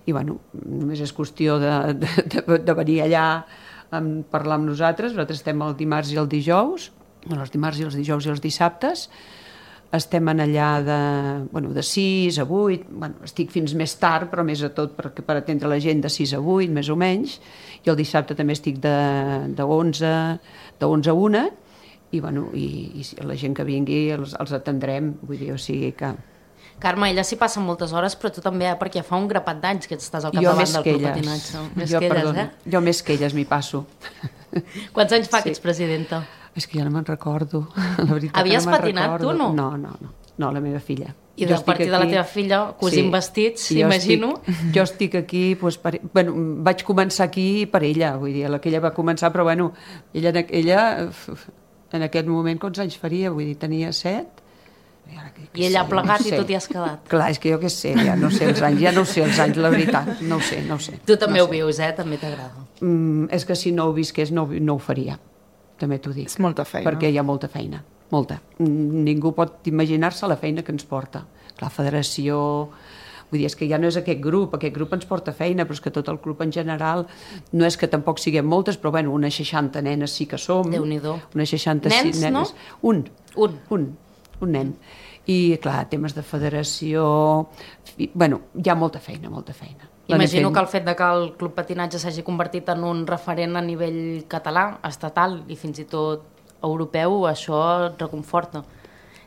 i, bueno, només és qüestió de venir allà a parlar amb nosaltres. Nosaltres estem el dimarts i el dijous, els dimarts i els dijous i els dissabtes. Estem en allà de 6 a 8, estic fins més tard, però més a tot per atendre la gent de 6 a 8, més o menys, i el dissabte també estic de 11 a 1, i la gent que vingui els atendrem, vull dir, o sigui que... Carme, ella s'hi passa moltes hores, però tu també, perquè fa un grapat d'anys que estàs al capdavant del Club Patinatge. Jo més que elles m'hi passo. Quants anys fa que ets presidenta? És que ja no me'n recordo, la veritat. Havies patinat tu, no? No, la meva filla. I del partit de la teva filla, cosint vestits, imagino. Jo estic aquí, vaig començar aquí per ella, vull dir, que ella va començar, però ella en aquest moment quants anys faria? Vull dir, tenia 7. I ella ha plegat i tu t'hi has quedat. Clar, és que jo què sé, ja no sé els anys, la veritat, no ho sé. Tu també ho vius, també t'agrada. És que si no ho visqués no ho faria, també t'ho dic. És molta feina. Perquè hi ha molta feina, molta. Ningú pot imaginar-se la feina que ens porta. La federació... Vull dir, és que ja no és aquest grup ens porta feina, però és que tot el club en general, no és que tampoc siguem moltes, però unes 60 nenes sí que som. Déu-n'hi-do. Unes 66 nenes. No? Un nen. I, clar, temes de federació... hi ha molta feina. Imagino que el fet que el Club Patinatge s'hagi convertit en un referent a nivell català, estatal i fins i tot europeu, això et reconforta.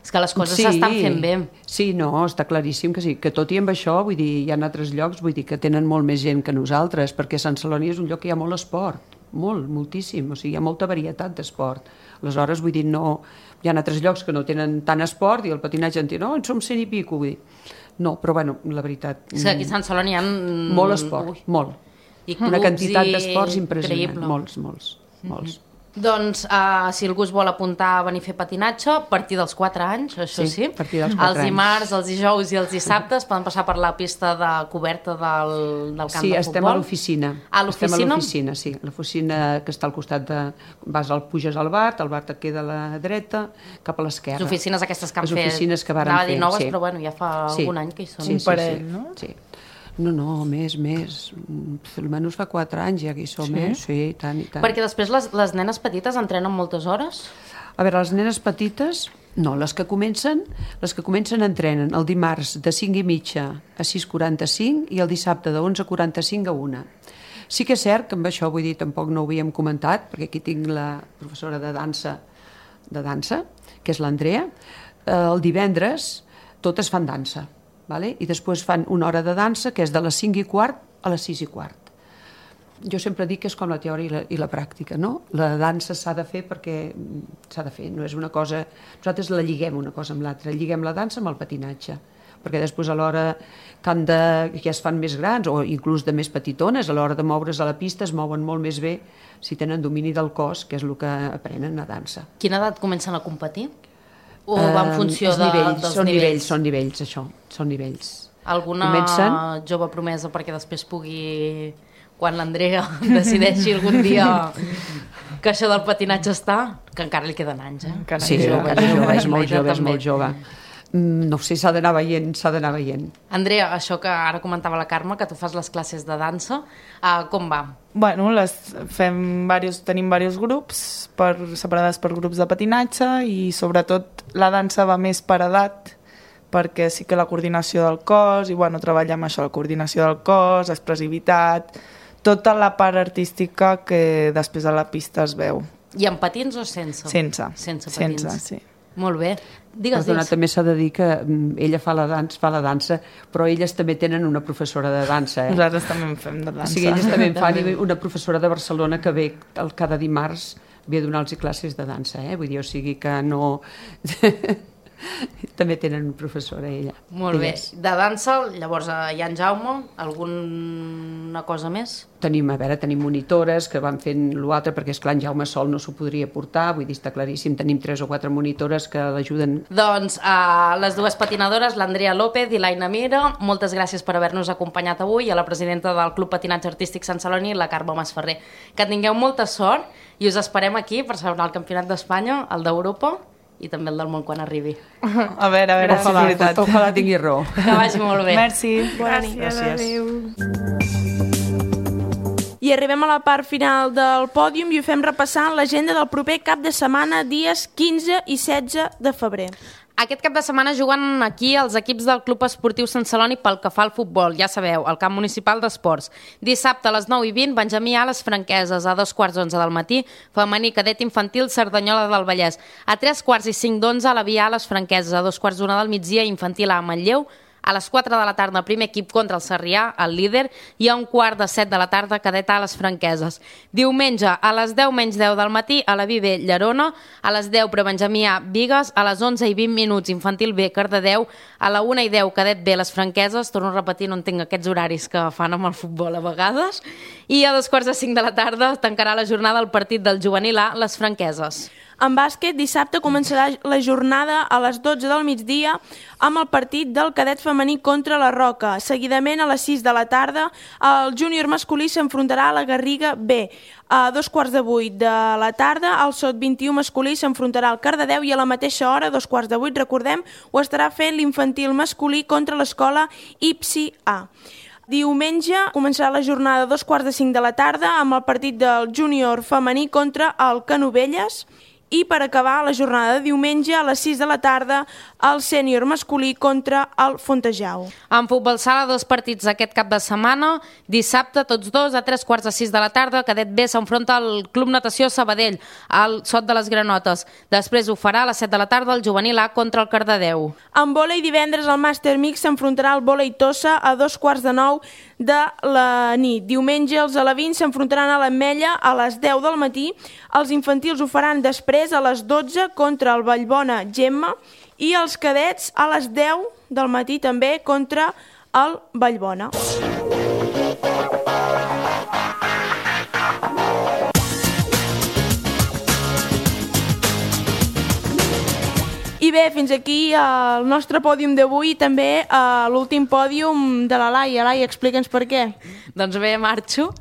És que les coses s'estan fent bé. Sí, no, està claríssim que sí. Que tot i amb això, vull dir, hi ha altres llocs, vull dir, que tenen molt més gent que nosaltres, perquè Sant Celoni és un lloc que hi ha molt esport, moltíssim, o sigui, hi ha molta varietat d'esport. Aleshores, vull dir, no... Hi ha altres llocs que no tenen tant esport i el patinatge en té, en som 100 i pico, vull dir. No, però la veritat... És que aquí a Sant Celoni hi ha... Molt esport, molt. I clubs, una quantitat d'esports impressionant. Molts. Doncs, si algú es vol apuntar a venir a fer patinatge, a partir dels 4 anys, això sí. A partir dels 4 anys. Els dimarts, els dijous i els dissabtes poden passar per la pista de coberta del camp de futbol. Sí, estem a l'oficina. A l'oficina? Estem a l'oficina, sí. L'oficina que està al costat de... puges al bar et queda a la dreta, cap a l'esquerra. Les oficines aquestes que han fet... Les oficines que varen fer. Anava a dir noves, sí. Però ja fa algun any que hi són. Un parell, no? Sí. No, més. Almenys fa 4 anys ja que hi som, Sí, tant i tant. Perquè després les nenes petites entrenen moltes hores? A veure, les nenes petites, no, les que comencen entrenen el dimarts de 5:30 a 6:45 i el dissabte de 11:45 a 1. Sí que és cert que amb això, vull dir, tampoc no ho havíem comentat, perquè aquí tinc la professora de dansa, que és l'Andrea. El divendres totes fan dansa. Vale? I després fan una hora de dansa que és de les 5:15 a les 6:15. Jo sempre dic que és com la teoria i la pràctica, no? La dansa s'ha de fer perquè s'ha de fer, no és una cosa... Nosaltres la lliguem una cosa amb l'altra, lliguem la dansa amb el patinatge, perquè després a l'hora que ja es fan més grans o inclús de més petitones, a l'hora de moure's a la pista es mouen molt més bé si tenen domini del cos, que és el que aprenen a dansa. Quina edat comencen a competir? O va en funció dels nivells? Són nivells, això, són nivells. Alguna jove promesa perquè després pugui, quan l'Andrea decideixi algun dia que això del patinatge està, que encara li queden anys, Sí, és molt jove. No sé, s'ha d'anar veient. Andrea, això que ara comentava la Carme, que tu fas les classes de dansa, com va? Bueno, tenim diversos grups separades per grups de patinatge i sobretot la dansa va més per edat, perquè sí que la coordinació del cos, i treballem això, la coordinació del cos, expressivitat, tota la part artística que després a la pista es veu. I amb patins o sense? Sense patins. Sense, sí. Molt bé. Digues. També s'ha de dir que ella fa la dansa, però elles també tenen una professora de dansa. Nosaltres també en fem de dansa. O sigui, elles també en fan una professora de Barcelona que ve cada dimarts ve a donar-los classes de dansa, Vull dir, o sigui que no... També tenen professora, ella. Molt bé. De dansa, llavors, hi ha en Jaume, alguna cosa més? Tenim monitores que van fent l'altre, perquè esclar, en Jaume sol no s'ho podria portar, vull dir, està claríssim, tenim 3 o 4 monitores que l'ajuden. Doncs a les dues patinadores, l'Andrea López i l'Aina Mira, moltes gràcies per haver-nos acompanyat avui, a la presidenta del Club Patinatge Artístic Sant Celoni, la Carme Masferrer. Que tingueu molta sort i us esperem aquí per celebrar el Campionat d'Espanya, el d'Europa i també el del món quan arribi. A veure, Ojalà tingui raó. Que vagi molt bé. Merci. Bona nit. Gràcies. I arribem a la part final del pòdium i ho fem repassant l'agenda del proper cap de setmana, dies 15 i 16 de febrer. Aquest cap de setmana juguen aquí els equips del Club Esportiu Sant Celoni pel que fa al futbol, ja sabeu, al camp municipal d'esports. Dissabte a les 9:20, Benjamí A, les Franqueses, a 2:15 del matí, femení cadet infantil Cerdanyola del Vallès. A 3:45 la Via A, les Franqueses, a 2:15 del migdia, infantil A, Manlleu. A les 4 de la tarda, primer equip contra el Sarrià, el líder, i a 6:15 de la tarda, cadet A, les Franqueses. Diumenge, a les 10:10 del matí, a la Viver, Llerona, a les 10, Prebenjamí A, Bigues, a les 11:20, infantil B, Cardedeu, a la 1:10, cadet B, les Franqueses, torno a repetir, no entenc aquests horaris que fan amb el futbol a vegades, i a 2:45 de la tarda tancarà la jornada el partit del juvenil A, les Franqueses. En bàsquet, dissabte començarà la jornada a les 12 del migdia amb el partit del cadet femení contra la Roca. Seguidament, a les 6 de la tarda, el júnior masculí s'enfrontarà a la Garriga B. A 7:15 de la tarda, el Sot 21 masculí s'enfrontarà al Cardedeu i a la mateixa hora, 7:15, recordem, ho estarà fent l'infantil masculí contra l'escola Ipsi A. Diumenge començarà la jornada a 2:45 de la tarda amb el partit del júnior femení contra el Canovelles. I per acabar la jornada de diumenge a les 6 de la tarda el sènior masculí contra el Fontejau. En futbol sala, 2 partits aquest cap de setmana. Dissabte, tots dos, a 3:15 de la tarda, cadet B s'enfronta al Club Natació Sabadell, al Sot de les Granotes. Després ho farà a les 7 de la tarda el juvenil A contra el Cardedeu. En vòlei, divendres el Màster Mix s'enfrontarà al Vòlei Tossa a 2:15 de la nit. Diumenge els alevins s'enfrontaran a l'Ametlla a les 10 del matí. Els infantils ho faran després a les 12 contra el Vallbona Gemma i els cadets a les 10 del matí també contra el Vallbona. I bé, fins aquí el nostre pòdium d'avui i també l'últim pòdium de la Laia. Laia, explica'ns per què. Doncs bé, marxo,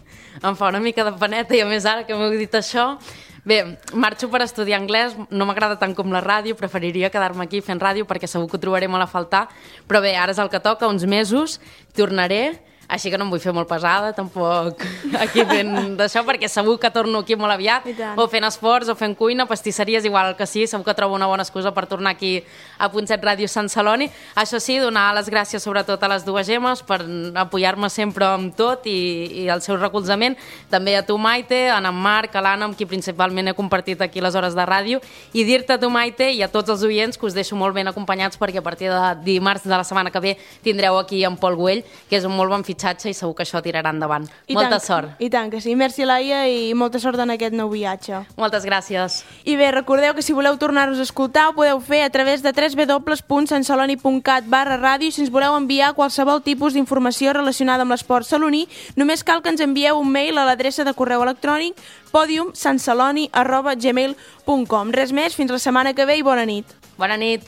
em fa una mica de paneta i a més ara que m'heu dit això. Bé, marxo per estudiar anglès, no m'agrada tant com la ràdio, preferiria quedar-me aquí fent ràdio perquè segur que ho trobaré molt a faltar, però bé, ara és el que toca, uns mesos, tornaré, així que no em vull fer molt pesada, tampoc aquí fent d'això, perquè segur que torno aquí molt aviat, o fent esports, o fent cuina, pastisseries, igual el que sí, segur que trobo una bona excusa per tornar aquí a .7 Ràdio Sant Celoni. Això sí, donar les gràcies sobretot a les dues Gemmes per apoyar-me sempre amb tot i el seu recolzament, també a tu, Maite, a en Marc, a l'Anna, amb qui principalment he compartit aquí les hores de ràdio, i dir-te a tu, Maite, i a tots els oients que us deixo molt ben acompanyats perquè a partir de dimarts de la setmana que ve tindreu aquí en Pol Güell, que és un molt bon fitxatge i segur que això tirarà endavant. Molta sort. I tant que sí. Merci, Laia, i molta sort en aquest nou viatge. Moltes gràcies. I bé, recordeu que si voleu tornar-nos a escoltar ho podeu fer a través de www.santceloni.cat/ràdio i si ens voleu enviar qualsevol tipus d'informació relacionada amb l'esport saloní, només cal que ens envieu un mail a l'adreça de correu electrònic podiumsantceloni@gmail.com. Res més, fins la setmana que ve i bona nit. Bona nit.